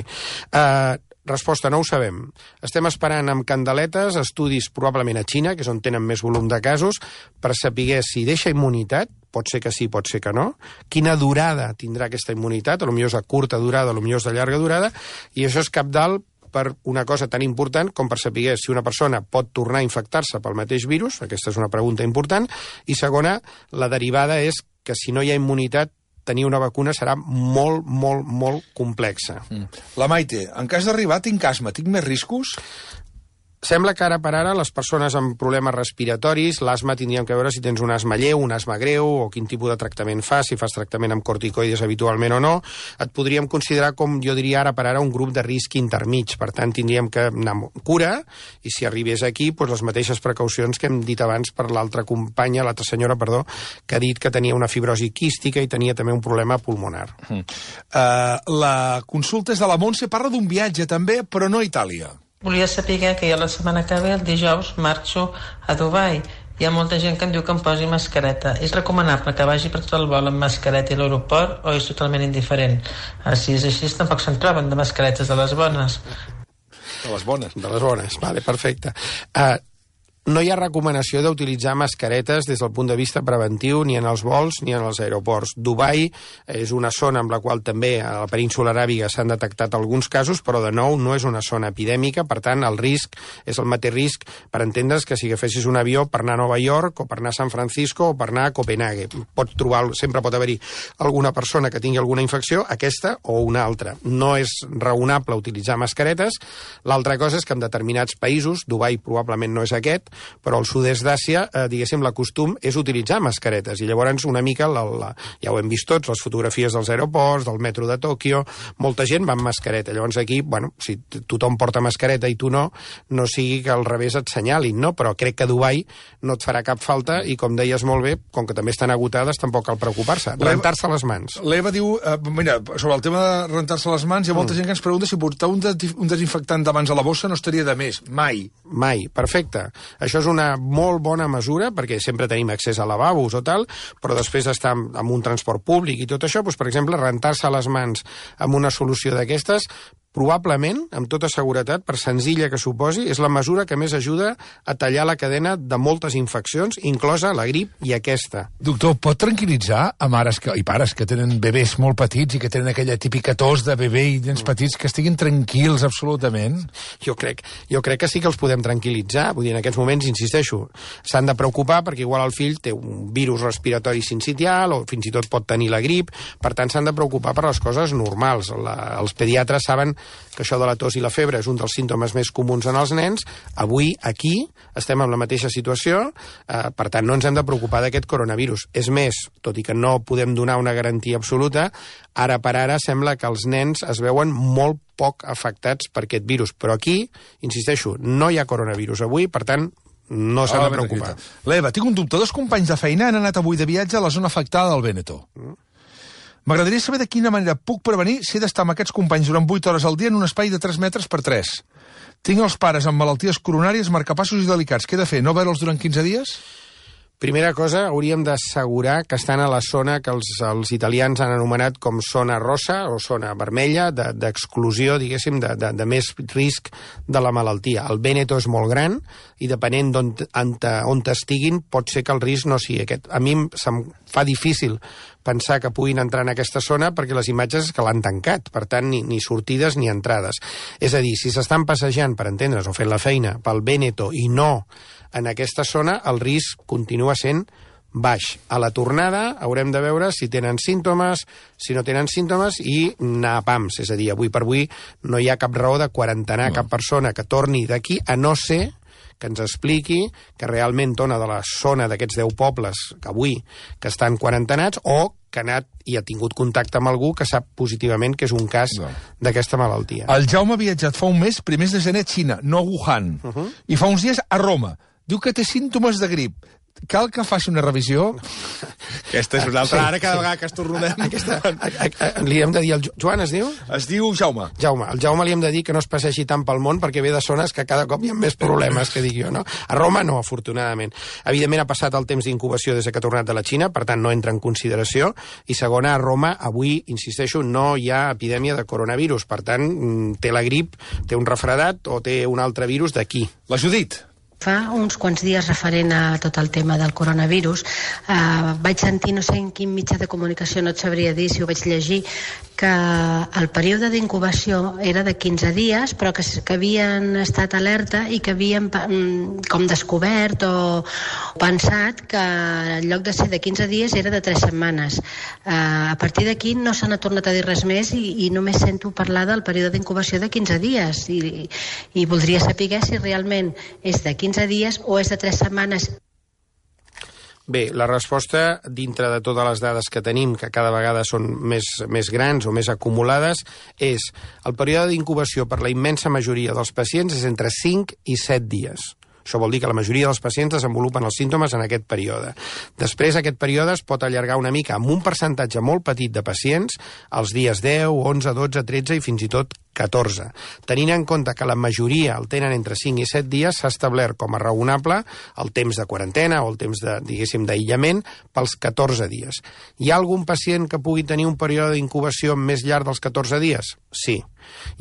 Uh, resposta, no ho sabem. Estem esperant amb candeletes estudis probablement a Xina, que és on tenen més volum de casos, per saber si deixa immunitat, pot ser que sí, pot ser que no, quina durada tindrà aquesta immunitat, potser és de curta durada, potser és de llarga durada, i això és cabdal per una cosa tan important com per saber si una persona pot tornar a infectar-se pel mateix virus, aquesta és una pregunta important, i segona, la derivada és que si no hi ha immunitat, tenir una vacuna serà molt, molt, molt complexa.
Mm. La Maite, en cas d'arribar tinc asma, tinc més riscos?
Sembla que ara per ara les persones amb problemes respiratoris, l'asma tindríem que veure si tens un asma lleu, un asma greu, o quin tipus de tractament fas, si fas tractament amb corticoides habitualment o no. Et podríem considerar, com jo diria ara per ara, un grup de risc intermig. Per tant, tindríem que anar amb cura, i si arribés aquí, doncs les mateixes precaucions que hem dit abans per l'altra companya, l'altra senyora, perdó, que ha dit que tenia una fibrosi quística i tenia també un problema pulmonar.
Uh, la consulta és de la Montse, parla d'un viatge també, però no a Itàlia.
Volia saber que jo la setmana que ve, el dijous, marxo a Dubai. Hi ha molta gent que em diu que em posi mascareta. És recomanable que vagi per tot el vol amb mascareta a l'aeroport o és totalment indiferent? Ara, si és així, tampoc se'n troben de mascaretes de les bones.
De les bones.
De les bones, vale, perfecte. Uh, no hi ha recomanació d'utilitzar mascaretes des del punt de vista preventiu ni en els vols ni en els aeroports. Dubai és una zona amb la qual també a la península aràbiga s'han detectat alguns casos, però de nou no és una zona epidèmica, per tant el risc és el mateix risc per entendre's que si agafessis un avió per anar a Nova York o per anar a San Francisco o per anar a Copenhague. Pots trobar, sempre pot haver-hi alguna persona que tingui alguna infecció, aquesta o una altra. No és raonable utilitzar mascaretes. L'altra cosa és que en determinats països, Dubai probablement no és aquest, però al sud-est d'Àsia, eh, diguéssim, l'acostum és utilitzar mascaretes, i llavors una mica, la, la, ja ho hem vist tots, les fotografies dels aeroports, del metro de Tòquio, molta gent va amb mascareta. Llavors aquí, bueno, si tothom porta mascareta i tu no, no sigui que al revés et senyalin, no? Però crec que a Dubai no et farà cap falta i, com deies molt bé, com que també estan agotades, tampoc cal preocupar-se. Rentar-se les mans.
L'Eva diu, eh, mira, sobre el tema de rentar-se les mans, hi ha molta mm. gent que ens pregunta si portar un, de, un desinfectant de mans a la bossa no estaria de més. Mai.
Mai, perfecte. Això és una molt bona mesura, perquè sempre tenim accés a lavabos o tal, però després estar en un transport públic i tot això, doncs, per exemple, rentar-se les mans amb una solució d'aquestes, probablement, amb tota seguretat, per senzilla que suposi, és la mesura que més ajuda a tallar la cadena de moltes infeccions, inclosa la grip i aquesta.
Doctor, pot tranquil·litzar a mares que, i pares que tenen bebès molt petits i que tenen aquella típica tos de bebè i nens petits que estiguin tranquils absolutament?
Jo crec, jo crec que sí que els podem tranquil·litzar. Vull dir, en aquests moments, insisteixo, s'han de preocupar perquè igual el fill té un virus respiratori sincitial o fins i tot pot tenir la grip, per tant s'han de preocupar per les coses normals. La, els pediatres saben que això de la tos i la febre és un dels símptomes més comuns en els nens. Avui, aquí, estem en la mateixa situació, eh, per tant, no ens hem de preocupar d'aquest coronavirus. És més, tot i que no podem donar una garantia absoluta, ara per ara sembla que els nens es veuen molt poc afectats per aquest virus. Però aquí, insisteixo, no hi ha coronavirus avui, per tant, no s'ha de preocupar.
L'Eva, tinc un dubte. Dos companys de feina han anat avui de viatge a la zona afectada del Véneto. Mm. M'agradaria saber de quina manera puc prevenir si he d'estar amb aquests companys durant vuit hores al dia en un espai de tres metres per tres. Tinc els pares amb malalties coronàries, marcapassos i delicats. Què he de fer? No veure'ls durant quinze dies?
Primera cosa, hauríem d'assegurar que estan a la zona que els, els italians han anomenat com zona rosa o zona vermella, d'exclusió, de, diguéssim, de, de, de més risc de la malaltia. El Véneto és molt gran i depenent d'on on, on estiguin pot ser que el risc no sigui aquest. A mi se'm fa difícil pensar que puguin entrar en aquesta zona perquè les imatges és que l'han tancat, per tant, ni, ni sortides ni entrades. És a dir, si s'estan passejant, per entendre's, o fent la feina pel Véneto i no en aquesta zona, el risc continua sent baix. A la tornada haurem de veure si tenen símptomes, si no tenen símptomes i anar a pams. És a dir, avui per avui no hi ha cap raó de quarantenar no. cap persona que torni d'aquí, a no ser que ens expliqui que realment dona de la zona d'aquests deu pobles que avui que estan quarantenats o que ha anat i ha tingut contacte amb algú que sap positivament que és un cas no. d'aquesta malaltia.
El Jaume ha viatjat fa un mes, primers de gener a Xina, no a Wuhan, uh -huh. i fa uns dies a Roma. Diu que té símptomes de grip. Cal que faci una revisió? Aquesta és una altra. Sí, ara cada sí. vegada que estornudem... Aquesta...
Li hem de dir... El Joan es diu?
Es diu Jaume.
Jaume. El Jaume li hem de dir que no es passegi tant pel món perquè ve de zones que cada cop hi ha més problemes, que dic jo, no? A Roma no, afortunadament. Evidentment ha passat el temps d'incubació des que ha tornat de la Xina, per tant no entra en consideració. I segona, a Roma avui, insisteixo, no hi ha epidèmia de coronavirus. Per tant, té la grip, té un refredat o té un altre virus d'aquí.
La Judit.
Fa uns quants dies, referent a tot el tema del coronavirus, eh, vaig sentir, no sé en quin mitjà de comunicació, no et sabria dir si ho vaig llegir, que el període d'incubació era de quinze dies, però que, que havien estat alerta i que havien com descobert o pensat que en lloc de ser de quinze dies era de tres setmanes. Eh, a partir d'aquí no se n'ha tornat a dir res més i, i només sento parlar del període d'incubació de quinze dies i, i voldria saber si realment és de quinze dies o és de tres setmanes.
Bé, la resposta, dintre de totes les dades que tenim, que cada vegada són més, més grans o més acumulades, és el període d'incubació per la immensa majoria dels pacients és entre cinc i set dies. Això vol dir que la majoria dels pacients desenvolupen els símptomes en aquest període. Després, aquest període es pot allargar una mica amb un percentatge molt petit de pacients als dies deu, onze, dotze, tretze i fins i tot catorze. Tenint en compte que la majoria el tenen entre cinc i set dies, s'ha establert com a raonable el temps de quarantena o el temps de, diguéssim, d'aïllament pels catorze dies. Hi ha algun pacient que pugui tenir un període d'incubació més llarg dels catorze dies? Sí.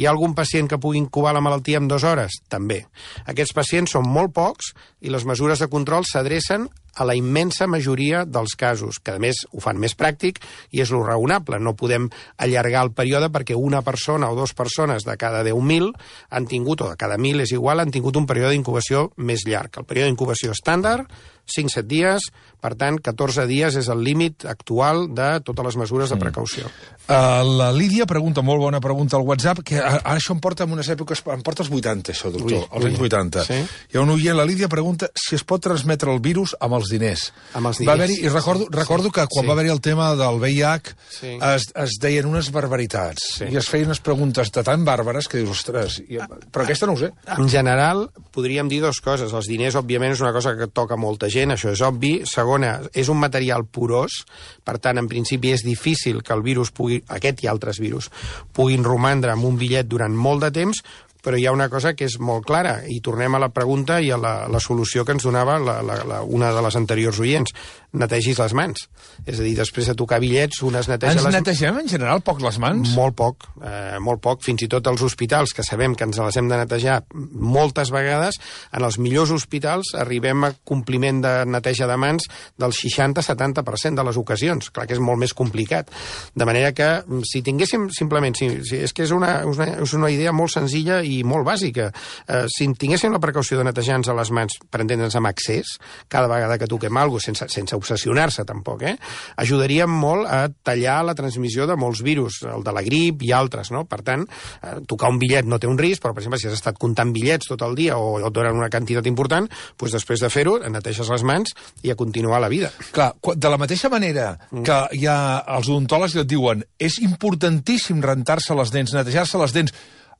Hi ha algun pacient que pugui incubar la malaltia en dues hores? També. Aquests pacients són molt pocs i les mesures de control s'adrecen a la immensa majoria dels casos, que a més ho fan més pràctic i és lo raonable. No podem allargar el període perquè una persona o dues persones de cada deu mil han tingut, o de cada mil és igual, han tingut un període d'incubació més llarg. El període d'incubació estàndard, cinc a set dies, per tant, catorze dies és el límit actual de totes les mesures de precaució.
Uh, la Lídia pregunta, molt bona pregunta al WhatsApp, que ara això em porta en unes èpoques, em porta als vuitanta, això, doctor, ui, als ui. anys vuitanta. Sí? Hi ha un oient, la Lídia pregunta si es pot transmetre el virus amb els diners.
Amb els diners.
Va haver-hi, i recordo, recordo sí. que quan sí. va haver-hi el tema del V I H sí. es, es deien unes barbaritats sí. i es feien unes preguntes de tan bàrbares que dius, ostres, i, però aquesta no ho sé.
En general, podríem dir dues coses. Els diners, òbviament, és una cosa que toca molta gent, això és obvi. Segona, és un material porós, per tant, en principi és difícil que el virus pugui, aquest i altres virus, puguin romandre amb un bitllet durant molt de temps, però hi ha una cosa que és molt clara, i tornem a la pregunta i a la, la solució que ens donava la, la, la, una de les anteriors oients. Netegis les mans. És a dir, després de tocar bitllets, un es neteja
ens
les...
Ens netegem, en general, poc les mans?
Molt poc, eh, molt poc. Fins i tot als hospitals, que sabem que ens les hem de netejar moltes vegades, en els millors hospitals arribem a compliment de neteja de mans del seixanta a setanta per cent de les ocasions. Clar que és molt més complicat. De manera que, si tinguéssim simplement... Si, si, és que és una, una, és una idea molt senzilla i molt bàsica. Eh, si tinguéssim la precaució de netejar-nos les mans, per entendre'ns amb accés, cada vegada que toquem alguna cosa, sense, sense obsessionar-se tampoc, eh? ajudaria molt a tallar la transmissió de molts virus, el de la grip i altres, no? Per tant, eh, tocar un bitllet no té un risc, però, per exemple, si has estat comptant bitllets tot el dia o et donen una quantitat important, doncs després de fer-ho, neteges les mans i a continuar la vida.
Clar, de la mateixa manera que hi ha els odontòlegs que et diuen és importantíssim rentar-se les dents, netejar-se les dents,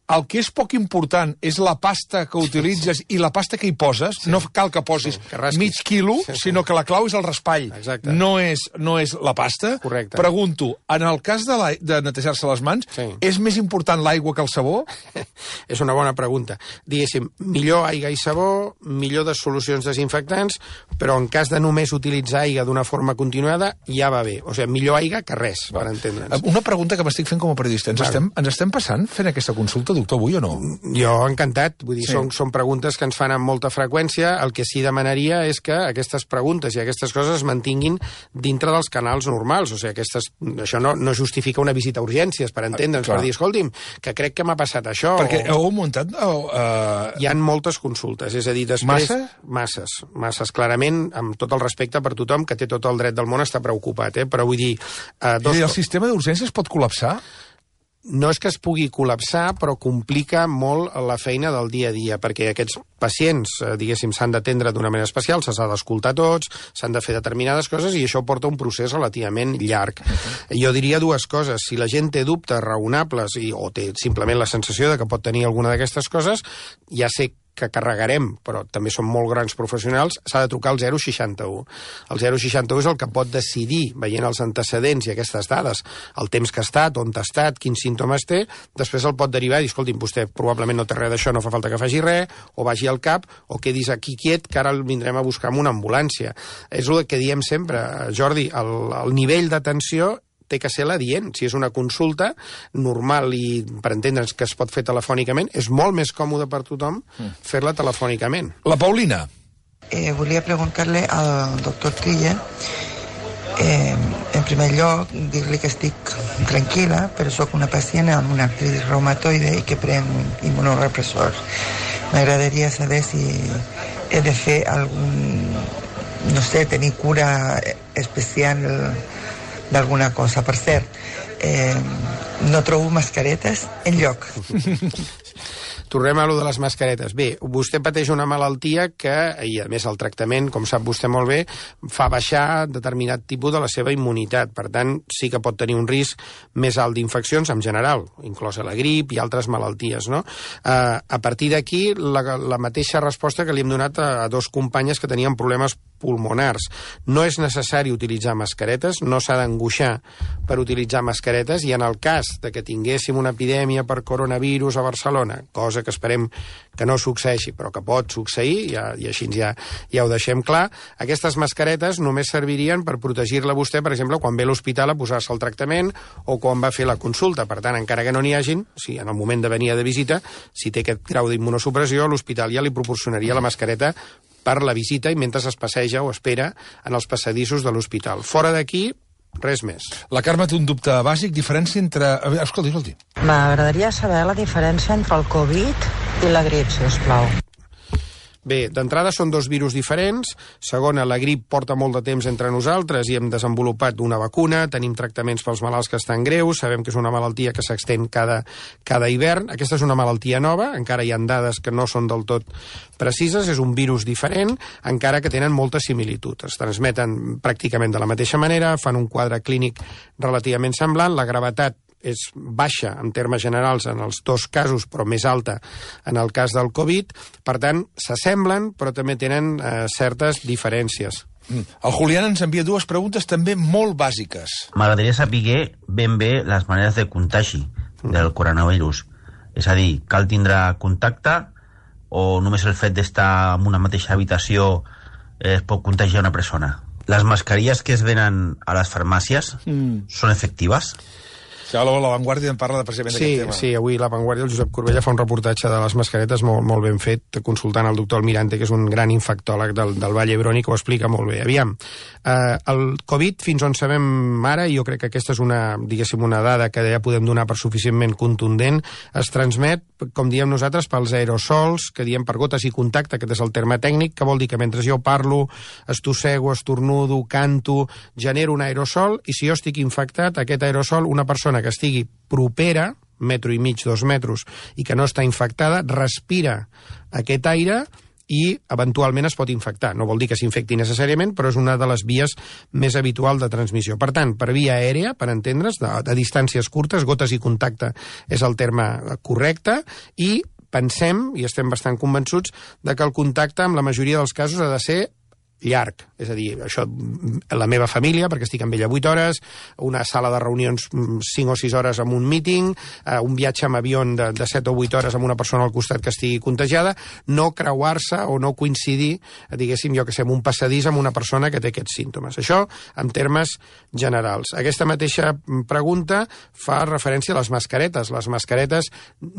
el que és poc important és la pasta que utilitzes sí. i la pasta que hi poses. Sí. No cal que posis sí, que mig quilo, sí, sí. sinó que la clau és el raspall.
Exacte.
No és, no és la pasta.
Correcte.
Pregunto, en el cas de, la, de netejar-se les mans, sí. és més important l'aigua que el sabó?
És una bona pregunta. Diguéssim, millor aigua i sabó, millor de solucions desinfectants, però en cas de només utilitzar aigua d'una forma continuada, ja va bé. O sigui, millor aigua que res, va. Per entendre'ns.
Una pregunta que m'estic fent com a periodista. Ens, estem, ens estem passant fent aquesta consulta, doctor, avui o no?
Jo encantat, vull dir, sí. són, són preguntes que ens fan amb molta freqüència. El que sí demanaria és que aquestes preguntes i aquestes coses es mantinguin dintre dels canals normals, o sigui, aquestes, això no, no justifica una visita a urgències, per entendre'ns, per dir, escolti'm, que crec que m'ha passat això.
Perquè
o...
heu muntat... O, uh...
Hi ha moltes consultes, és a dir, després...
Massa?
Masses, masses, clarament, amb tot el respecte per tothom, que té tot el dret del món a estar preocupat, eh? Però vull dir...
Uh, dos... I el sistema d'urgències pot col·lapsar?
No és que es pugui col·lapsar, però complica molt la feina del dia a dia, perquè aquests pacients, diguéssim, s'han d'atendre d'una manera especial, se s'ha d'escoltar tots, s'han de fer determinades coses, i això porta un procés relativament llarg. Uh-huh. Jo diria dues coses. Si la gent té dubtes raonables i, o té simplement la sensació de que pot tenir alguna d'aquestes coses, ja sé que carregarem, però també són molt grans professionals, s'ha de trucar al zero seixanta-u. El zero seixanta-u és el que pot decidir, veient els antecedents i aquestes dades, el temps que ha estat, on ha estat, quins símptomes té, després el pot derivar i dir, escolti'm, vostè probablement no té res d'això, no fa falta que faci res, o vagi al cap, o quedis aquí quiet, que ara el vindrem a buscar amb una ambulància. És el que diem sempre, Jordi, el, el nivell d'atenció té que ser l'adient. Si és una consulta normal i, per entendre'ns, que es pot fer telefònicament, és molt més còmode per tothom fer-la telefònicament.
La Paulina.
Eh, volia preguntar-li al doctor Trilla, eh, en primer lloc, dir-li que estic tranquil·la, però sóc una pacient amb una artritis reumatoide i que pren immunorepressors. M'agradaria saber si he de fer algun, no sé, tenir cura especial d'alguna cosa. Per cert, eh, no trobo mascaretes enlloc.
Tornem a lo de les mascaretes. Bé, vostè pateix una malaltia que, i a més el tractament, com sap vostè molt bé, fa baixar determinat tipus de la seva immunitat. Per tant, sí que pot tenir un risc més alt d'infeccions en general, inclosa la grip i altres malalties, no? Uh, a partir d'aquí, la, la mateixa resposta que li hem donat a, a dos companyes que tenien problemes pulmonars. No és necessari utilitzar mascaretes, no s'ha d'angoixar per utilitzar mascaretes, i en el cas de que tinguéssim una epidèmia per coronavirus a Barcelona, cosa que esperem que no succeeixi, però que pot succeir, ja, i així ja, ja ho deixem clar, aquestes mascaretes només servirien per protegir-la vostè, per exemple, quan ve a l'hospital a posar-se el tractament o quan va fer la consulta. Per tant, encara que no n'hi hagin, si en el moment de venir de visita, si té aquest grau d'immunosupressió, l'hospital ja li proporcionaria la mascareta per la visita i mentre es passeja o espera en els passadissos de l'hospital. Fora d'aquí, res més.
La Carme té un dubte bàsic, diferència entre... Escolti, escolti.
M'agradaria saber la diferència entre el Covid i la grip, si us plau.
Bé, d'entrada són dos virus diferents. Segona, la grip porta molt de temps entre nosaltres i hem desenvolupat una vacuna, tenim tractaments pels malalts que estan greus, sabem que és una malaltia que s'extén cada, cada hivern. Aquesta és una malaltia nova, encara hi ha dades que no són del tot precises, és un virus diferent, encara que tenen molta similitud. Es transmeten pràcticament de la mateixa manera, fan un quadre clínic relativament semblant, la gravetat és baixa en termes generals en els dos casos, però més alta en el cas del Covid. Per tant, s'assemblen, però també tenen eh, certes diferències.
Mm. El Julián ens envia dues preguntes també molt bàsiques.
M'agradaria saber ben bé les maneres de contagi del coronavirus. És a dir, cal tindre contacte o només el fet d'estar en una mateixa habitació es pot contagiar una persona? Les mascarilles que es venen a les farmàcies mm. són efectives?
Sí, la Vanguardia en parla precisament
sí,
d'aquest tema.
Sí, avui la Vanguardia, el Josep Corbella fa un reportatge de les mascaretes molt, molt ben fet, consultant el doctor Almirante, que és un gran infectòleg del, del Vall d'Hebron, que ho explica molt bé. Aviam, eh, el Covid, fins on sabem ara, i jo crec que aquesta és una, diguéssim, una dada que ja podem donar per suficientment contundent, es transmet, com diem nosaltres, pels aerosols, que diem per gotes i contacte, aquest és el terme tècnic, que vol dir que mentre jo parlo, estossego, estornudo, canto, genero un aerosol, i si jo estic infectat, aquest aerosol, una persona que estigui propera, metro i mig, dos metres, i que no està infectada, respira aquest aire i eventualment es pot infectar. No vol dir que s'infecti necessàriament, però és una de les vies més habituals de transmissió. Per tant, per via aèria, per entendre's, de, de distàncies curtes, gotes i contacte és el terme correcte, i pensem, i estem bastant convençuts, de que el contacte, en la majoria dels casos, ha de ser llarg, és a dir, això, la meva família, perquè estic amb ella vuit hores, una sala de reunions cinc o sis hores amb un meeting, eh, un viatge amb avió de, de set o vuit hores amb una persona al costat que estigui contagiada, no creuar-se o no coincidir, diguéssim, jo que sé, amb un passadís amb una persona que té aquests símptomes. Això en termes generals. Aquesta mateixa pregunta fa referència a les mascaretes. Les mascaretes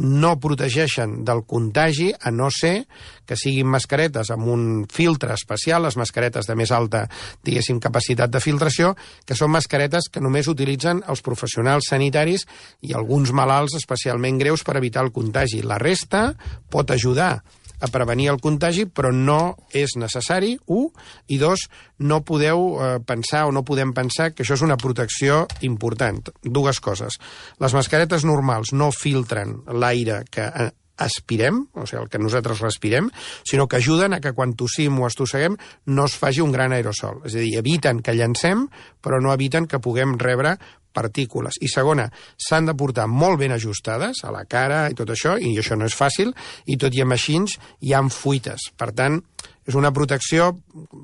no protegeixen del contagi, a no ser que siguin mascaretes amb un filtre especial, les mascaretes de més alta, diguéssim, capacitat de filtració, que són mascaretes que només utilitzen els professionals sanitaris i alguns malalts especialment greus per evitar el contagi. La resta pot ajudar a prevenir el contagi, però no és necessari, u, i dos, no podeu eh, pensar o no podem pensar que això és una protecció important. Dues coses. Les mascaretes normals no filtren l'aire que eh, aspirem, o sigui, el que nosaltres respirem, sinó que ajuden a que quan tossim o estosseguem no es faci un gran aerosol. És a dir, eviten que llancem, però no eviten que puguem rebre partícules. I segona, s'han de portar molt ben ajustades a la cara i tot això, i això no és fàcil, i tot i amb així hi ha fuites. Per tant, és una protecció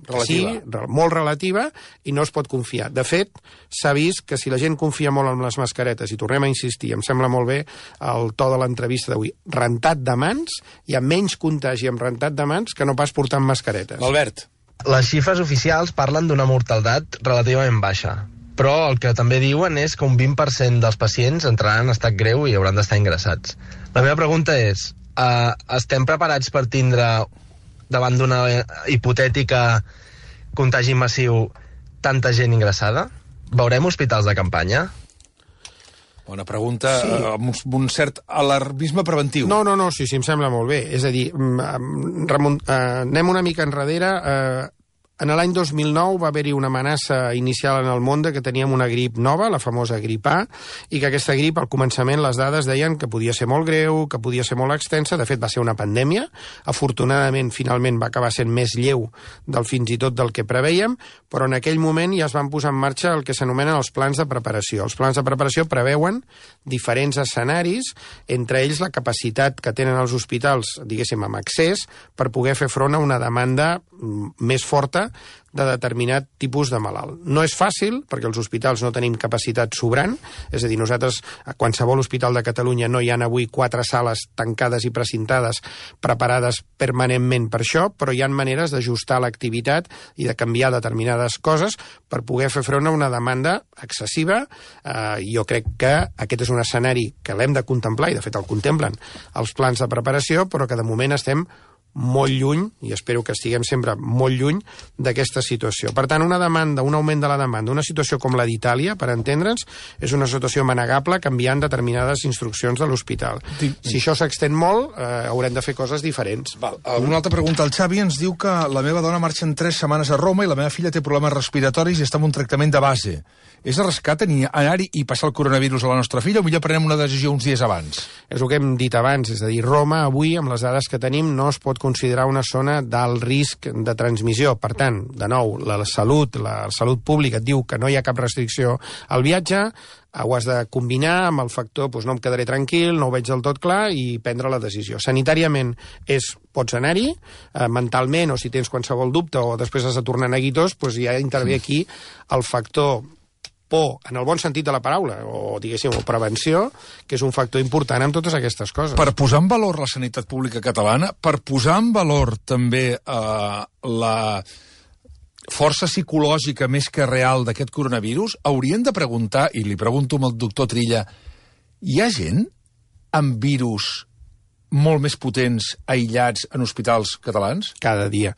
relativa. Sí, molt relativa, i no es pot confiar. De fet, s'ha vist que si la gent confia molt en les mascaretes, i tornem a insistir, em sembla molt bé el to de l'entrevista d'avui, rentat de mans, hi ha menys contagi amb rentat de mans que no pas portant mascaretes.
Albert.
Les xifres oficials parlen d'una mortalitat relativament baixa. però el que també diuen és que un vint per cent dels pacients entraran en estat greu i hauran d'estar ingressats. La meva pregunta és, eh, estem preparats per tindre, davant d'una hipotètica contagi massiu, tanta gent ingressada? Veurem hospitals de campanya?
Bona pregunta, sí. amb un cert alarmisme preventiu.
No, no, no, sí, sí, em sembla molt bé. És a dir, remont, eh, anem una mica enrere. Eh, en l'any dos mil nou va haver-hi una amenaça inicial en el món que teníem una grip nova, la famosa grip A, i que aquesta grip, al començament, les dades deien que podia ser molt greu, que podia ser molt extensa. De fet, va ser una pandèmia. Afortunadament, finalment, va acabar sent més lleu del fins i tot del que preveiem, però en aquell moment ja es van posar en marxa el que s'anomenen els plans de preparació. Els plans de preparació preveuen diferents escenaris, entre ells la capacitat que tenen els hospitals, diguéssim, amb accés, per poder fer front a una demanda més forta de determinat tipus de malalt. No és fàcil, perquè els hospitals no tenim capacitat sobrant, és a dir, nosaltres a qualsevol hospital de Catalunya no hi ha avui quatre sales tancades i precintades preparades permanentment per això, però hi ha maneres d'ajustar l'activitat i de canviar determinades coses per poder fer front a una demanda excessiva. Eh, jo crec que aquest és un escenari que l'hem de contemplar, i de fet el contemplen els plans de preparació, però que de moment estem molt lluny, i espero que estiguem sempre molt lluny d'aquesta situació. Per tant, una demanda, un augment de la demanda, una situació com la d'Itàlia, per entendre'ns, és una situació manegable canviant determinades instruccions de l'hospital. Si això s'extén molt, eh, haurem de fer coses diferents.
Val. Una altra pregunta. El Xavi ens diu que la meva dona marxa en tres setmanes a Roma i la meva filla té problemes respiratoris i està en un tractament de base. És arriscat anar-hi i passar el coronavirus a la nostra filla o millor prenem una decisió uns dies abans?
És el que hem dit abans, és a dir, Roma avui, amb les dades que tenim, no es pot considerar una zona d'alt risc de transmissió. Per tant, de nou, la salut, la salut pública et diu que no hi ha cap restricció al viatge, ho has de combinar amb el factor doncs no em quedaré tranquil, no ho veig del tot clar, i prendre la decisió. Sanitàriament és, pots anar-hi, eh, mentalment, o si tens qualsevol dubte o després has de tornar neguitós, doncs ja intervé aquí el factor por, en el bon sentit de la paraula, o diguéssim, o prevenció, que és un factor important en totes aquestes coses.
Per posar en valor la sanitat pública catalana, per posar en valor també eh, la força psicològica més que real d'aquest coronavirus, haurien de preguntar, i li pregunto al doctor Trilla, hi ha gent amb virus molt més potents, aïllats en hospitals catalans?
Cada dia.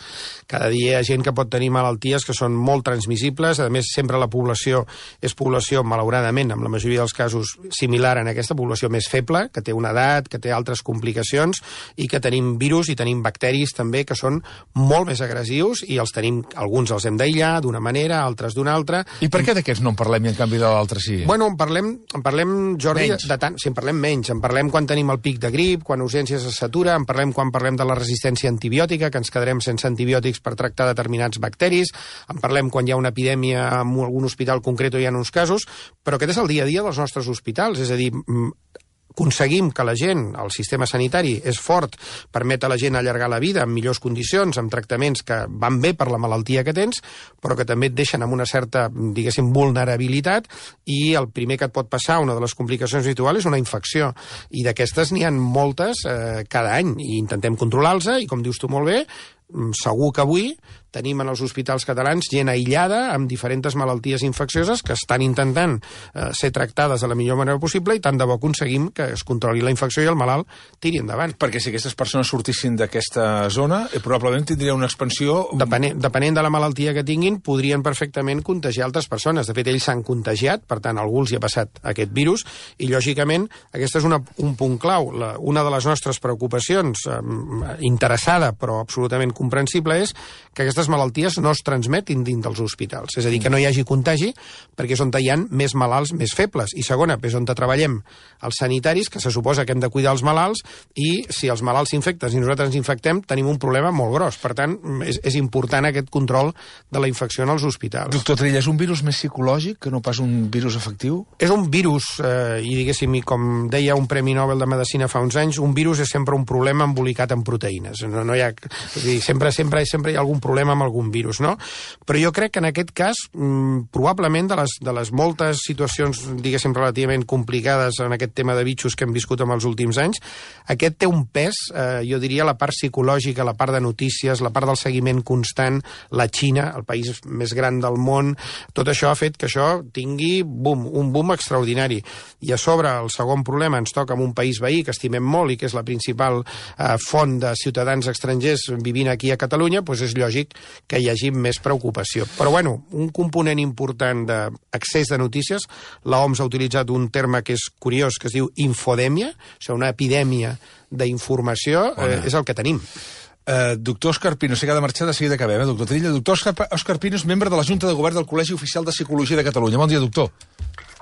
Cada dia hi ha gent que pot tenir malalties que són molt transmissibles. A més, sempre la població és població, malauradament, amb la majoria dels casos similar en aquesta població més feble, que té una edat, que té altres complicacions, i que tenim virus i tenim bacteris també que són molt més agressius, i els tenim, alguns els hem d'aïllar d'una manera, altres d'una altra.
I per què d'aquests no en parlem i en canvi de l'altre sí?
Bueno, en parlem, en parlem Jordi, menys. de tant, sí, en parlem menys. En parlem quan tenim el pic de grip, quan urgències es satura, en parlem quan parlem de la resistència antibiòtica, que ens quedarem sense antibiòtics per tractar determinats bacteris, en parlem quan hi ha una epidèmia en algun hospital concret o hi ha uns casos, però aquest és el dia a dia dels nostres hospitals, és a dir, aconseguim que la gent, el sistema sanitari és fort, permet a la gent allargar la vida en millors condicions, amb tractaments que van bé per la malaltia que tens, però que també et deixen amb una certa, diguéssim, vulnerabilitat, i el primer que et pot passar, una de les complicacions habituals, és una infecció. I d'aquestes n'hi ha moltes eh, cada any, i intentem controlar-los, i com dius tu molt bé, segur que avui tenim en els hospitals catalans gent aïllada amb diferents malalties infeccioses que estan intentant eh, ser tractades de la millor manera possible, i tant de bo aconseguim que es controli la infecció i el malalt tiri endavant.
Perquè si aquestes persones sortissin d'aquesta zona, eh, probablement tindria una expansió...
Depenent, depenent de la malaltia que tinguin, podrien perfectament contagiar altres persones. De fet, ells s'han contagiat, per tant, a algú els hi ha passat aquest virus, i lògicament aquest és una, un punt clau. La, una de les nostres preocupacions, eh, interessada però absolutament comprensible, és que aquestes malalties no es transmetin dins dels hospitals. És a dir, que no hi hagi contagi, perquè és on hi ha més malalts més febles. I segona, és on treballem els sanitaris, que se suposa que hem de cuidar els malalts, i si els malalts s'infecten i nosaltres ens infectem, tenim un problema molt gros. Per tant, és, és important aquest control de la infecció en els hospitals.
Doctor Trilla, és un virus més psicològic que no pas un virus efectiu?
És un virus, eh, i diguéssim, com deia un Premi Nobel de Medicina fa uns anys, un virus és sempre un problema embolicat en proteïnes. No, no hi ha... És a dir, sempre, sempre, sempre hi ha algun problema estem amb algun virus, no? Però jo crec que en aquest cas, mmm, probablement de les, de les moltes situacions, diguéssim, relativament complicades en aquest tema de bitxos que hem viscut en els últims anys, aquest té un pes, eh, jo diria, la part psicològica, la part de notícies, la part del seguiment constant, la Xina, el país més gran del món, tot això ha fet que això tingui, boom, un boom extraordinari. I a sobre, el segon problema, ens toca amb un país veí que estimem molt i que és la principal eh, font de ciutadans estrangers vivint aquí a Catalunya, doncs és lògic que hi hagi més preocupació. Però, bueno, un component important d'accés de notícies, l'O M S ha utilitzat un terme que és curiós, que es diu infodèmia, o sigui, una epidèmia d'informació, eh, és el que tenim.
Uh, doctor Òscar Pino, sé que ha de marxar de seguida que acabem, eh, doctor Trilla. Doctor Òscar, Òscar Pino és membre de la Junta de Govern del Col·legi Oficial de Psicologia de Catalunya. Bon dia, doctor.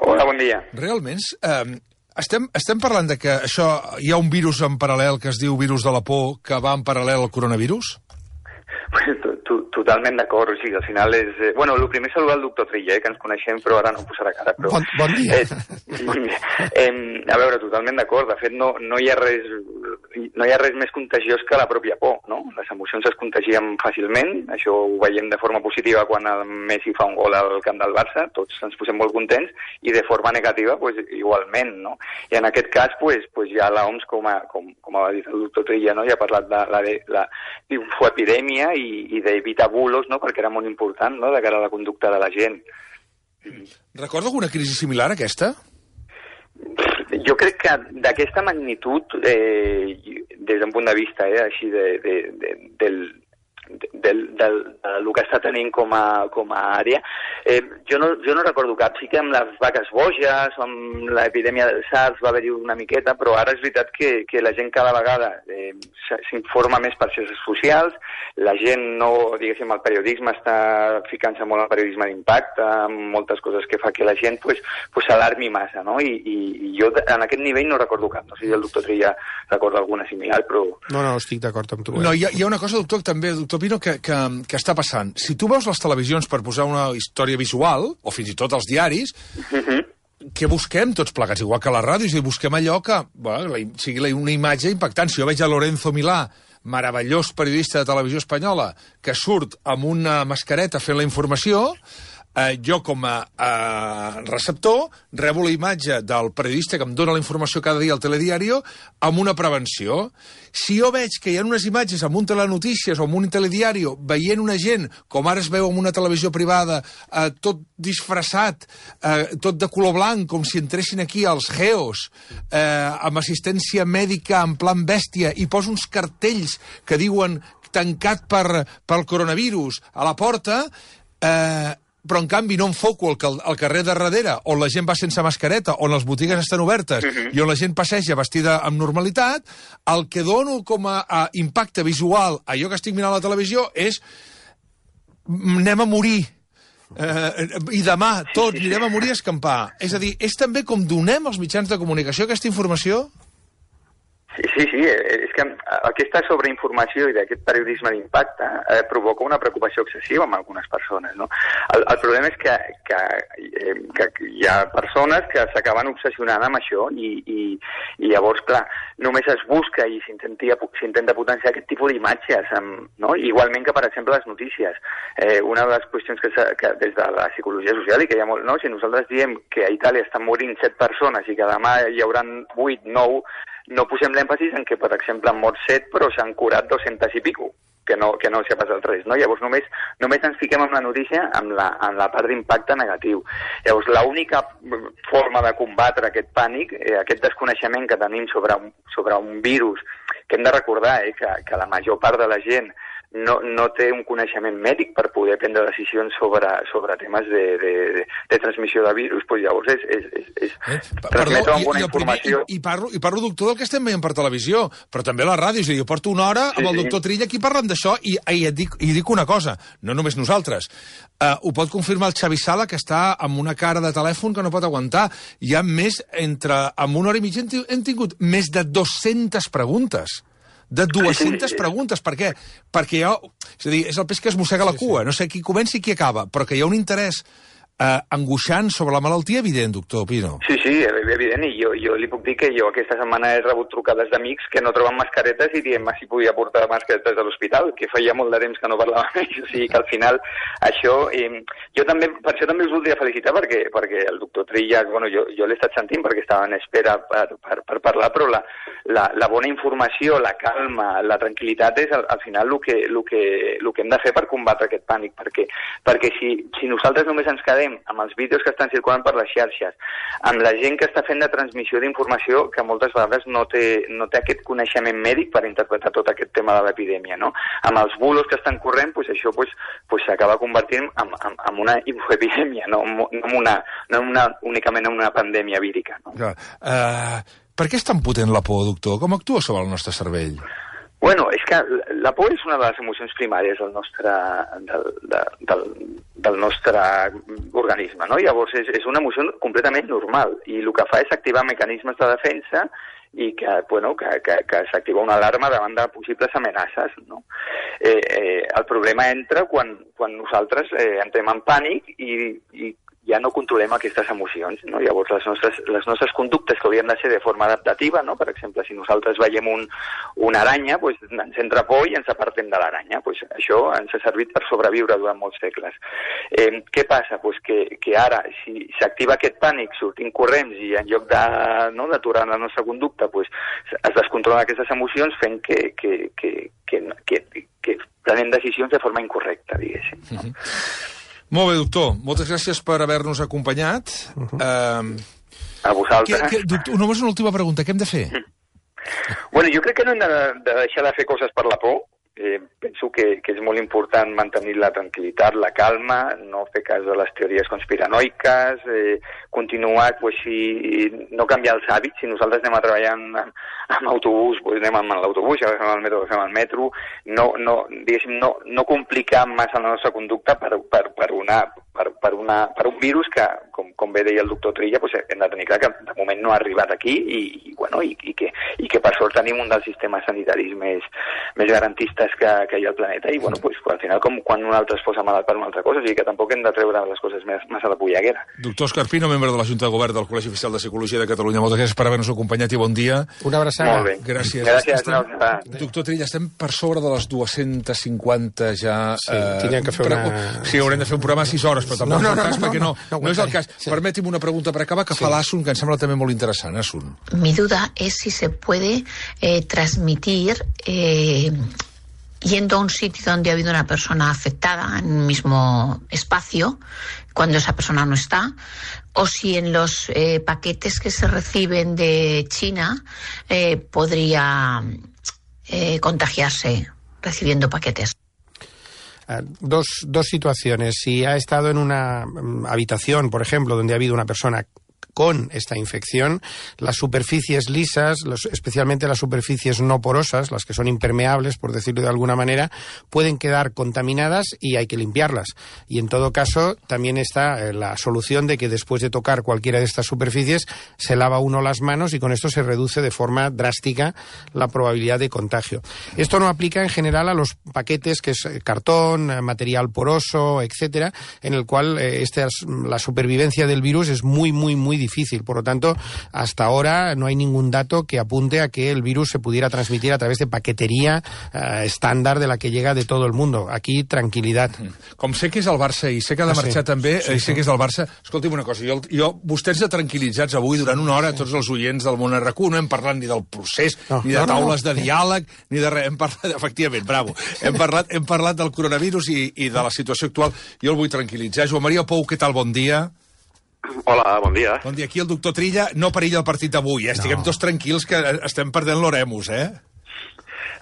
Hola, bon dia.
Realment, eh, estem, estem parlant de que això hi ha un virus en paral·lel que es diu virus de la por que va en paral·lel al coronavirus?
Pues, to, to, totalment d'acord, o sigui, al final és... Eh, bueno, el primer saludar el doctor Trilla, eh, que ens coneixem, però ara no posarà cara. Però,
bon, bon dia.
Eh, bon dia. Eh, a veure, totalment d'acord. De fet, no, no hi ha res... no hi ha res més contagiós que la pròpia por, no? Les emocions es contagien fàcilment, això ho veiem de forma positiva quan el Messi fa un gol al camp del Barça, tots ens posem molt contents, i de forma negativa, pues, igualment, no? I en aquest cas, pues, pues ja l'O M S, com, a, com, com ha dit el doctor Trilla, no? Ja ha parlat de la, de, la infoepidèmia i, i d'evitar bulos, no? Perquè era molt important, no?, de cara a la conducta de la gent.
Recorda alguna crisi similar a aquesta?
Jo crec que d'aquesta magnitud, eh, des d'un punt de vista eh, així de, de, de, del, del, del, del que està tenint com a, com a àrea, eh, jo, no, jo no recordo cap. Sí que amb les vaques boges, amb l'epidèmia del SARS va haver-hi una miqueta, però ara és veritat que, que la gent cada vegada eh, s'informa més per xarxes socials, la gent no, diguéssim, el periodisme està ficant-se molt al periodisme d'impacte, moltes coses que fa que la gent pues, pues s'alarmi massa, no? I, i, i jo en aquest nivell no recordo cap. No sé si el doctor Trilla recorda alguna similar, però...
No, no, estic d'acord amb tu. Eh?
No, hi ha, hi ha una cosa, doctor, també, doctor Pino, que, que, que està passant. Si tu veus les televisions per posar una història visual, o fins i tot els diaris, uh-huh. què busquem tots plegats? Igual que a les ràdios, i busquem allò que bueno, la, sigui una imatge impactant. Si jo veig a Lorenzo Milà, meravellós periodista de televisió espanyola, que surt amb una mascareta fent la informació, eh, jo com a eh, receptor rebo la imatge del periodista que em dona la informació cada dia al telediario amb una prevenció. Si jo veig que hi ha unes imatges amb un telenotícies o amb un telediario veient una gent, com ara es veu en una televisió privada, eh, tot disfressat, eh, tot de color blanc, com si entressin aquí els geos, eh, amb assistència mèdica en plan bèstia, i posa uns cartells que diuen tancat per, pel coronavirus a la porta, eh, però en canvi no enfoco el, el carrer de darrere, on la gent va sense mascareta, on les botigues estan obertes uh-huh. i on la gent passeja vestida amb normalitat, el que dono com a, a impacte visual a allò que estic mirant a la televisió és anem a morir. Eh, i demà tots anirem a morir a escampar. És a dir, és també com donem als mitjans de comunicació aquesta informació?
Sí, sí, sí, és que aquesta sobreinformació i d'aquest periodisme d'impacte eh, provoca una preocupació excessiva en algunes persones, no? El, el problema és que, que, eh, que hi ha persones que s'acaben obsessionant amb això i, i, i llavors, clar, només es busca i s'intenta potenciar aquest tipus d'imatges, no? Igualment que, per exemple, les notícies. Eh, una de les qüestions que, que des de la psicologia social i que hi ha molt, no? Si nosaltres diem que a Itàlia estan morint set persones i que demà hi haurà vuit, nou, no posem l'èmfasis en que, per exemple, han mort set, però s'han curat dos-centes i pico, que no, que no s'ha passat res, no? Llavors només, només ens fiquem amb la notícia amb la, amb la part d'impacte negatiu. Llavors l'única forma de combatre aquest pànic, eh, aquest desconeixement que tenim sobre un, sobre un virus, que hem de recordar eh, que, que la major part de la gent no, no té un coneixement mèdic per poder prendre decisions sobre, sobre temes de, de, de, de transmissió de virus, pues llavors és, és, és, és eh? transmetre amb bona informació.
I, i, parlo, I parlo, doctor, del que estem veient per televisió, però també a la ràdio. És a dir, jo porto una hora amb sí, el doctor sí. Trilla aquí parlant d'això i, i, et dic, i dic una cosa, no només nosaltres. Uh, ho pot confirmar el Xavi Sala, que està amb una cara de telèfon que no pot aguantar. Hi ha més, entre, amb una hora i mitja hem tingut més de dues-centes preguntes. De dues-centes preguntes. Per què? Perquè hi ha... És a dir, és el peix que es mossega la cua. No sé qui comença i qui acaba, però que hi ha un interès eh, angoixant sobre la malaltia, evident, doctor Pino.
Sí, sí, evident, i jo, jo li puc dir que jo aquesta setmana he rebut trucades d'amics que no troben mascaretes i diem si podia portar mascaretes a l'hospital, que feia molt de temps que no parlava amb ells, o sigui que al final això... Eh, jo també, per això també us voldria felicitar, perquè, perquè el doctor Trillas, bueno, jo, jo l'he estat sentint perquè estava en espera per, per, per parlar, però la, la, la bona informació, la calma, la tranquil·litat és al, al final el que, el, que, el que hem de fer per combatre aquest pànic, perquè, perquè si, si nosaltres només ens quedem amb els vídeos que estan circulant per les xarxes, amb la gent que està fent de transmissió d'informació que moltes vegades no té, no té aquest coneixement mèdic per interpretar tot aquest tema de l'epidèmia, no? Amb els bulos que estan corrent, pues això pues, pues s'acaba convertint en, en, en una infoepidèmia, no, no, en una, no en una, únicament en una pandèmia vírica. No?
Clar. Uh, per què és tan potent la por, doctor? Com actua sobre el nostre cervell?
Bueno, és que la por és una de les emocions primàries del nostre, del, de, del, del nostre organisme, no? Llavors és, és una emoció completament normal i el que fa és activar mecanismes de defensa i que, bueno, que, que, que s'activa una alarma davant de possibles amenaces, no? Eh, eh, el problema entra quan, quan nosaltres eh, entrem en pànic i, i ja no controlem aquestes emocions, no? Llavors les nostres, les nostres conductes que haurien de ser de forma adaptativa, no? Per exemple, si nosaltres veiem un, una aranya, pues, ens entra por i ens apartem de l'aranya. Pues, això ens ha servit per sobreviure durant molts segles. Eh, què passa? Pues que, que ara, si s'activa aquest pànic, sortim corrents i en lloc de, no, d'aturar la nostra conducta, pues, es descontrolen aquestes emocions fent que, que, que, que, que, que, que prenem decisions de forma incorrecta, diguéssim. No?
Mm-hmm. Molt bé, doctor. Moltes gràcies per haver-nos acompanyat. Uh-huh. uh,
a vosaltres.
Que, que, doctor, només una última pregunta. Què hem de fer?
Bueno, jo crec que no hem de, de deixar de fer coses per la por. Eh, penso que, que és molt important mantenir la tranquil·litat, la calma, no fer cas de les teories conspiranoiques, eh, continuar, pues, si no canviar els hàbits. Si nosaltres anem a treballar amb, amb autobús, pues anem amb l'autobús, si agafem el metro, agafem el metro. No, no, diguéssim, no, no complicar massa la nostra conducta per, per, per, una, per, per, una, per un virus que, com, com bé deia el doctor Trilla, pues, hem de tenir clar que de moment no ha arribat aquí i, i, bueno, i, i, que, i que per sort tenim un dels sistemes sanitaris més, més garantistes que, que hi ha al planeta i bueno, pues, al final com quan un altre es posa malalt per una altra cosa, o sigui que tampoc hem de treure les coses més, massa de polleguera.
Doctor Òscar Pino, membre de la Junta de Govern del Col·legi Oficial de Psicologia de Catalunya, moltes gràcies per haver-nos acompanyat i bon dia.
Una abraçada.
Molt bé.
Gràcies.
Gràcies.
Estem,
no,
doctor Trilla, estem per sobre de les dues-centes cinquanta ja...
Sí, eh, tindríem que fer una...
Sí, haurem de fer un programa a sis hores, però tampoc no, no, no, és el cas, no, no, perquè no, no, no, no és el cas. Sí. Permeti'm una pregunta per acabar, que sí. Fa l'Asun, que em sembla també molt interessant. Asun.
Mi duda es si se puede eh, transmitir... Eh, yendo a un sitio donde ha habido una persona afectada en un mismo espacio, cuando esa persona no está, o si en los eh, paquetes que se reciben de China eh, podría eh, contagiarse recibiendo paquetes.
Uh, dos, dos situaciones. Si ha estado en una um, habitación, por ejemplo, donde ha habido una persona con esta infección, las superficies lisas, los, especialmente las superficies no porosas, las que son impermeables, por decirlo de alguna manera, pueden quedar contaminadas y hay que limpiarlas. Y en todo caso, también está eh, la solución de que después de tocar cualquiera de estas superficies, se lava uno las manos y con esto se reduce de forma drástica la probabilidad de contagio. Esto no aplica en general a los paquetes que es cartón, material poroso, etcétera, en el cual eh, esta, la supervivencia del virus es muy, muy, muy difícil. difícil. Por lo tanto, hasta ahora no hay ningún dato que apunte a que el virus se pudiera transmitir a través de paquetería eh, estándar de la que llega de todo el mundo. Aquí, tranquil·litat.
Com sé que és el Barça i sé que ha de marxar sí, també, sí, sé sí. que és el Barça, escolti'm una cosa, jo, jo vostès ja tranquil·litzats avui durant una hora, tots els oients del Món R Q, no hem parlat ni del procés, no, ni de no, taules no, no. de diàleg, ni de res, hem parlat, efectivament, bravo, hem parlat, hem parlat del coronavirus i, i de la situació actual. Jo el vull tranquil·litzar. Joan Maria Pou, què tal? Bon dia.
Hola, bon dia.
Bon dia. Aquí el doctor Trilla no perilla el partit d'avui, eh? Estiguem no. tots tranquils que estem perdent l'oremus, eh?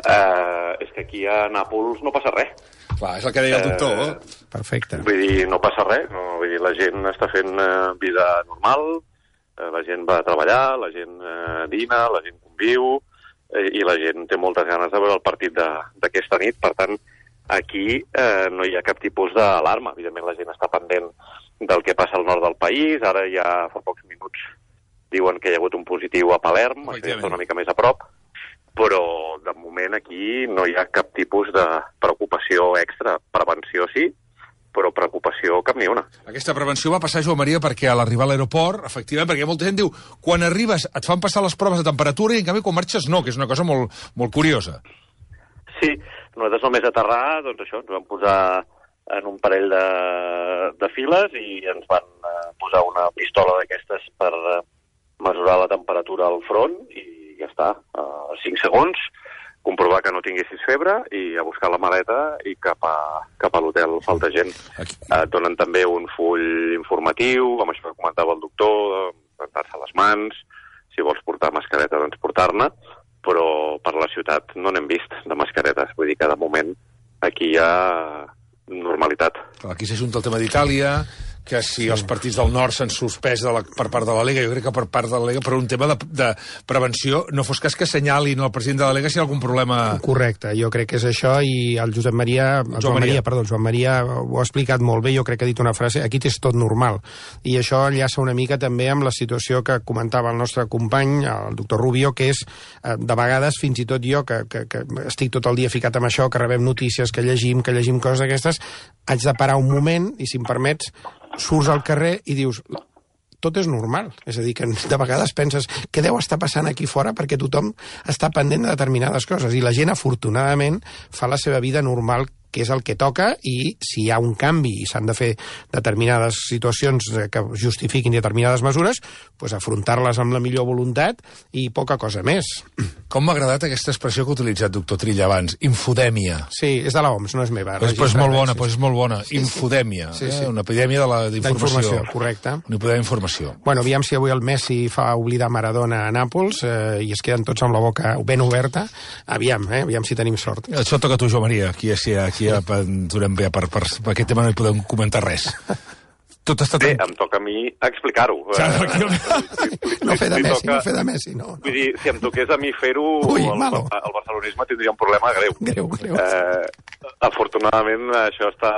Uh, és que aquí a Nàpols no passa res.
Clar, és el que deia el doctor. Uh,
Perfecte.
Vull dir, no passa res. No, vull dir, la gent està fent uh, vida normal, uh, la gent va a treballar, la gent uh, dina, la gent conviu, uh, i la gent té moltes ganes de veure el partit d'aquesta nit. Per tant, aquí uh, no hi ha cap tipus d'alarma. Evidentment, la gent està pendent del que passa al nord del país. Ara ja fa pocs minuts diuen que hi ha hagut un positiu a Palerm, això ja està una mica més a prop, però de moment aquí no hi ha cap tipus de preocupació extra. Prevenció sí, però preocupació cap ni una.
Aquesta prevenció va passar, Joan Maria, perquè a l'arribar a l'aeroport, efectivament, perquè molta gent diu, quan arribes et fan passar les proves de temperatura i en canvi quan marxes no, que és una cosa molt, molt curiosa.
Sí, nosaltres només aterrar, doncs això, ens vam posar en un parell de, de files i ens van eh, posar una pistola d'aquestes per eh, mesurar la temperatura al front i ja està, uh, cinc segons, comprovar que no tinguessis febre i a buscar la maleta i cap a, cap a l'hotel falta gent. Et donen també un full informatiu, amb això que comentava el doctor, rentar-se les mans, si vols portar mascareta, doncs portar-ne, però per la ciutat no n'hem vist de mascaretes. Vull dir que de moment aquí hi ha normalitat.
Aquí s'ajunta el tema d'Itàlia, que si sí. els partits del nord s'han suspès de la, per part de la Lega, jo crec que per part de la Lega, per un tema de, de prevenció, no fos cas que assenyalin el president de la Lega si hi ha algun problema...
Correcte, jo crec que és això, i el Josep Maria, el Joan, Joan Maria, Maria, perdó, el Joan Maria ho ha explicat molt bé, jo crec que ha dit una frase, aquí és tot normal, i això enllaça una mica també amb la situació que comentava el nostre company, el doctor Rubio, que és, de vegades, fins i tot jo, que, que, que estic tot el dia ficat amb això, que rebem notícies, que llegim, que llegim coses d'aquestes, haig de parar un moment, i si em permets, surts al carrer i dius, tot és normal. És a dir, que de vegades penses què deu estar passant aquí fora perquè tothom està pendent de determinades coses. I la gent, afortunadament, fa la seva vida normal, que és el que toca, i si hi ha un canvi i s'han de fer determinades situacions que justifiquin determinades mesures, doncs afrontar-les amb la millor voluntat i poca cosa més.
Com m'ha agradat aquesta expressió que ha utilitzat doctor Trilla abans, infodèmia.
Sí, és de l'O M S, no és meva.
Pues, pues molt bona, pues és molt bona. Sí, infodèmia, sí, sí. Eh? Una epidèmia d'informació.
Correcte.
Una epidèmia d'informació.
Bueno, aviam si avui el Messi fa oblidar Maradona a Nàpols eh, i es queden tots amb la boca ben oberta. Aviam, eh? Aviam si tenim sort.
Això toca a tu, Joan Maria. Aquí, aquí, aquí ja durem bé, per, per, per aquest tema no hi podem comentar res. Tot està
bé, em toca a mi explicar-ho.
Ja, no fer de Messi, no fer de Messi, no.
Vull dir, si em toqués a mi fer-ho, el, el barcelonisme tindria un problema greu.
Greu, greu.
Eh, afortunadament, això està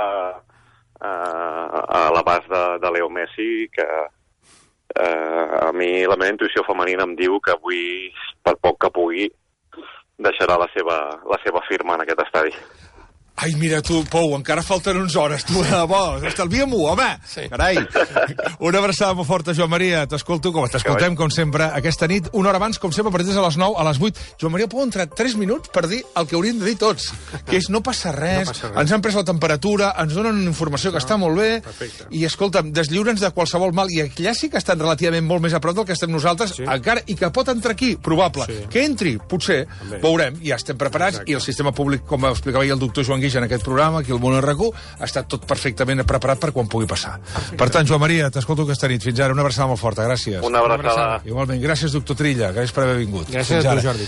eh, a l'abast de, de Leo Messi, que eh, a mi la meva intuïció femenina em diu que avui, per poc que pugui, deixarà la seva, la seva firma en aquest estadi.
Ai, mira tu, Pou, encara falten uns hores, tu, de bo, estalvia-m'ho, home! Sí. Carai! Una abraçada molt forta, Joan Maria, t'escolto, com t'escoltem, com sempre, aquesta nit, una hora abans, com sempre, a partir de les nou, a les vuit. Joan Maria, puc entrar tres minuts per dir el que hauríem de dir tots, que és no passa res, no passa res. Ens han pres la temperatura, ens donen una informació que no, està molt bé, perfecte. I, escolta'm, deslliure'ns de qualsevol mal, i allà sí que estan relativament molt més a prop del que estem nosaltres, sí. Encara, i que pot entrar aquí, probable. Sí. Que entri, potser, també. Veurem, ja estem preparats, exacte. I el sistema públic, com explicava ahir el doctor Joan Guix en aquest programa, aquí al Món R Q, ha estat tot perfectament preparat per quan pugui passar. Perfecte. Per tant, Joan Maria, t'escolto aquesta nit. Fins ara, una abraçada molt forta. Gràcies.
Una abraçada.
Igualment, gràcies, doctor Trilla. Gràcies per haver vingut.
Gràcies a tu, Jordi.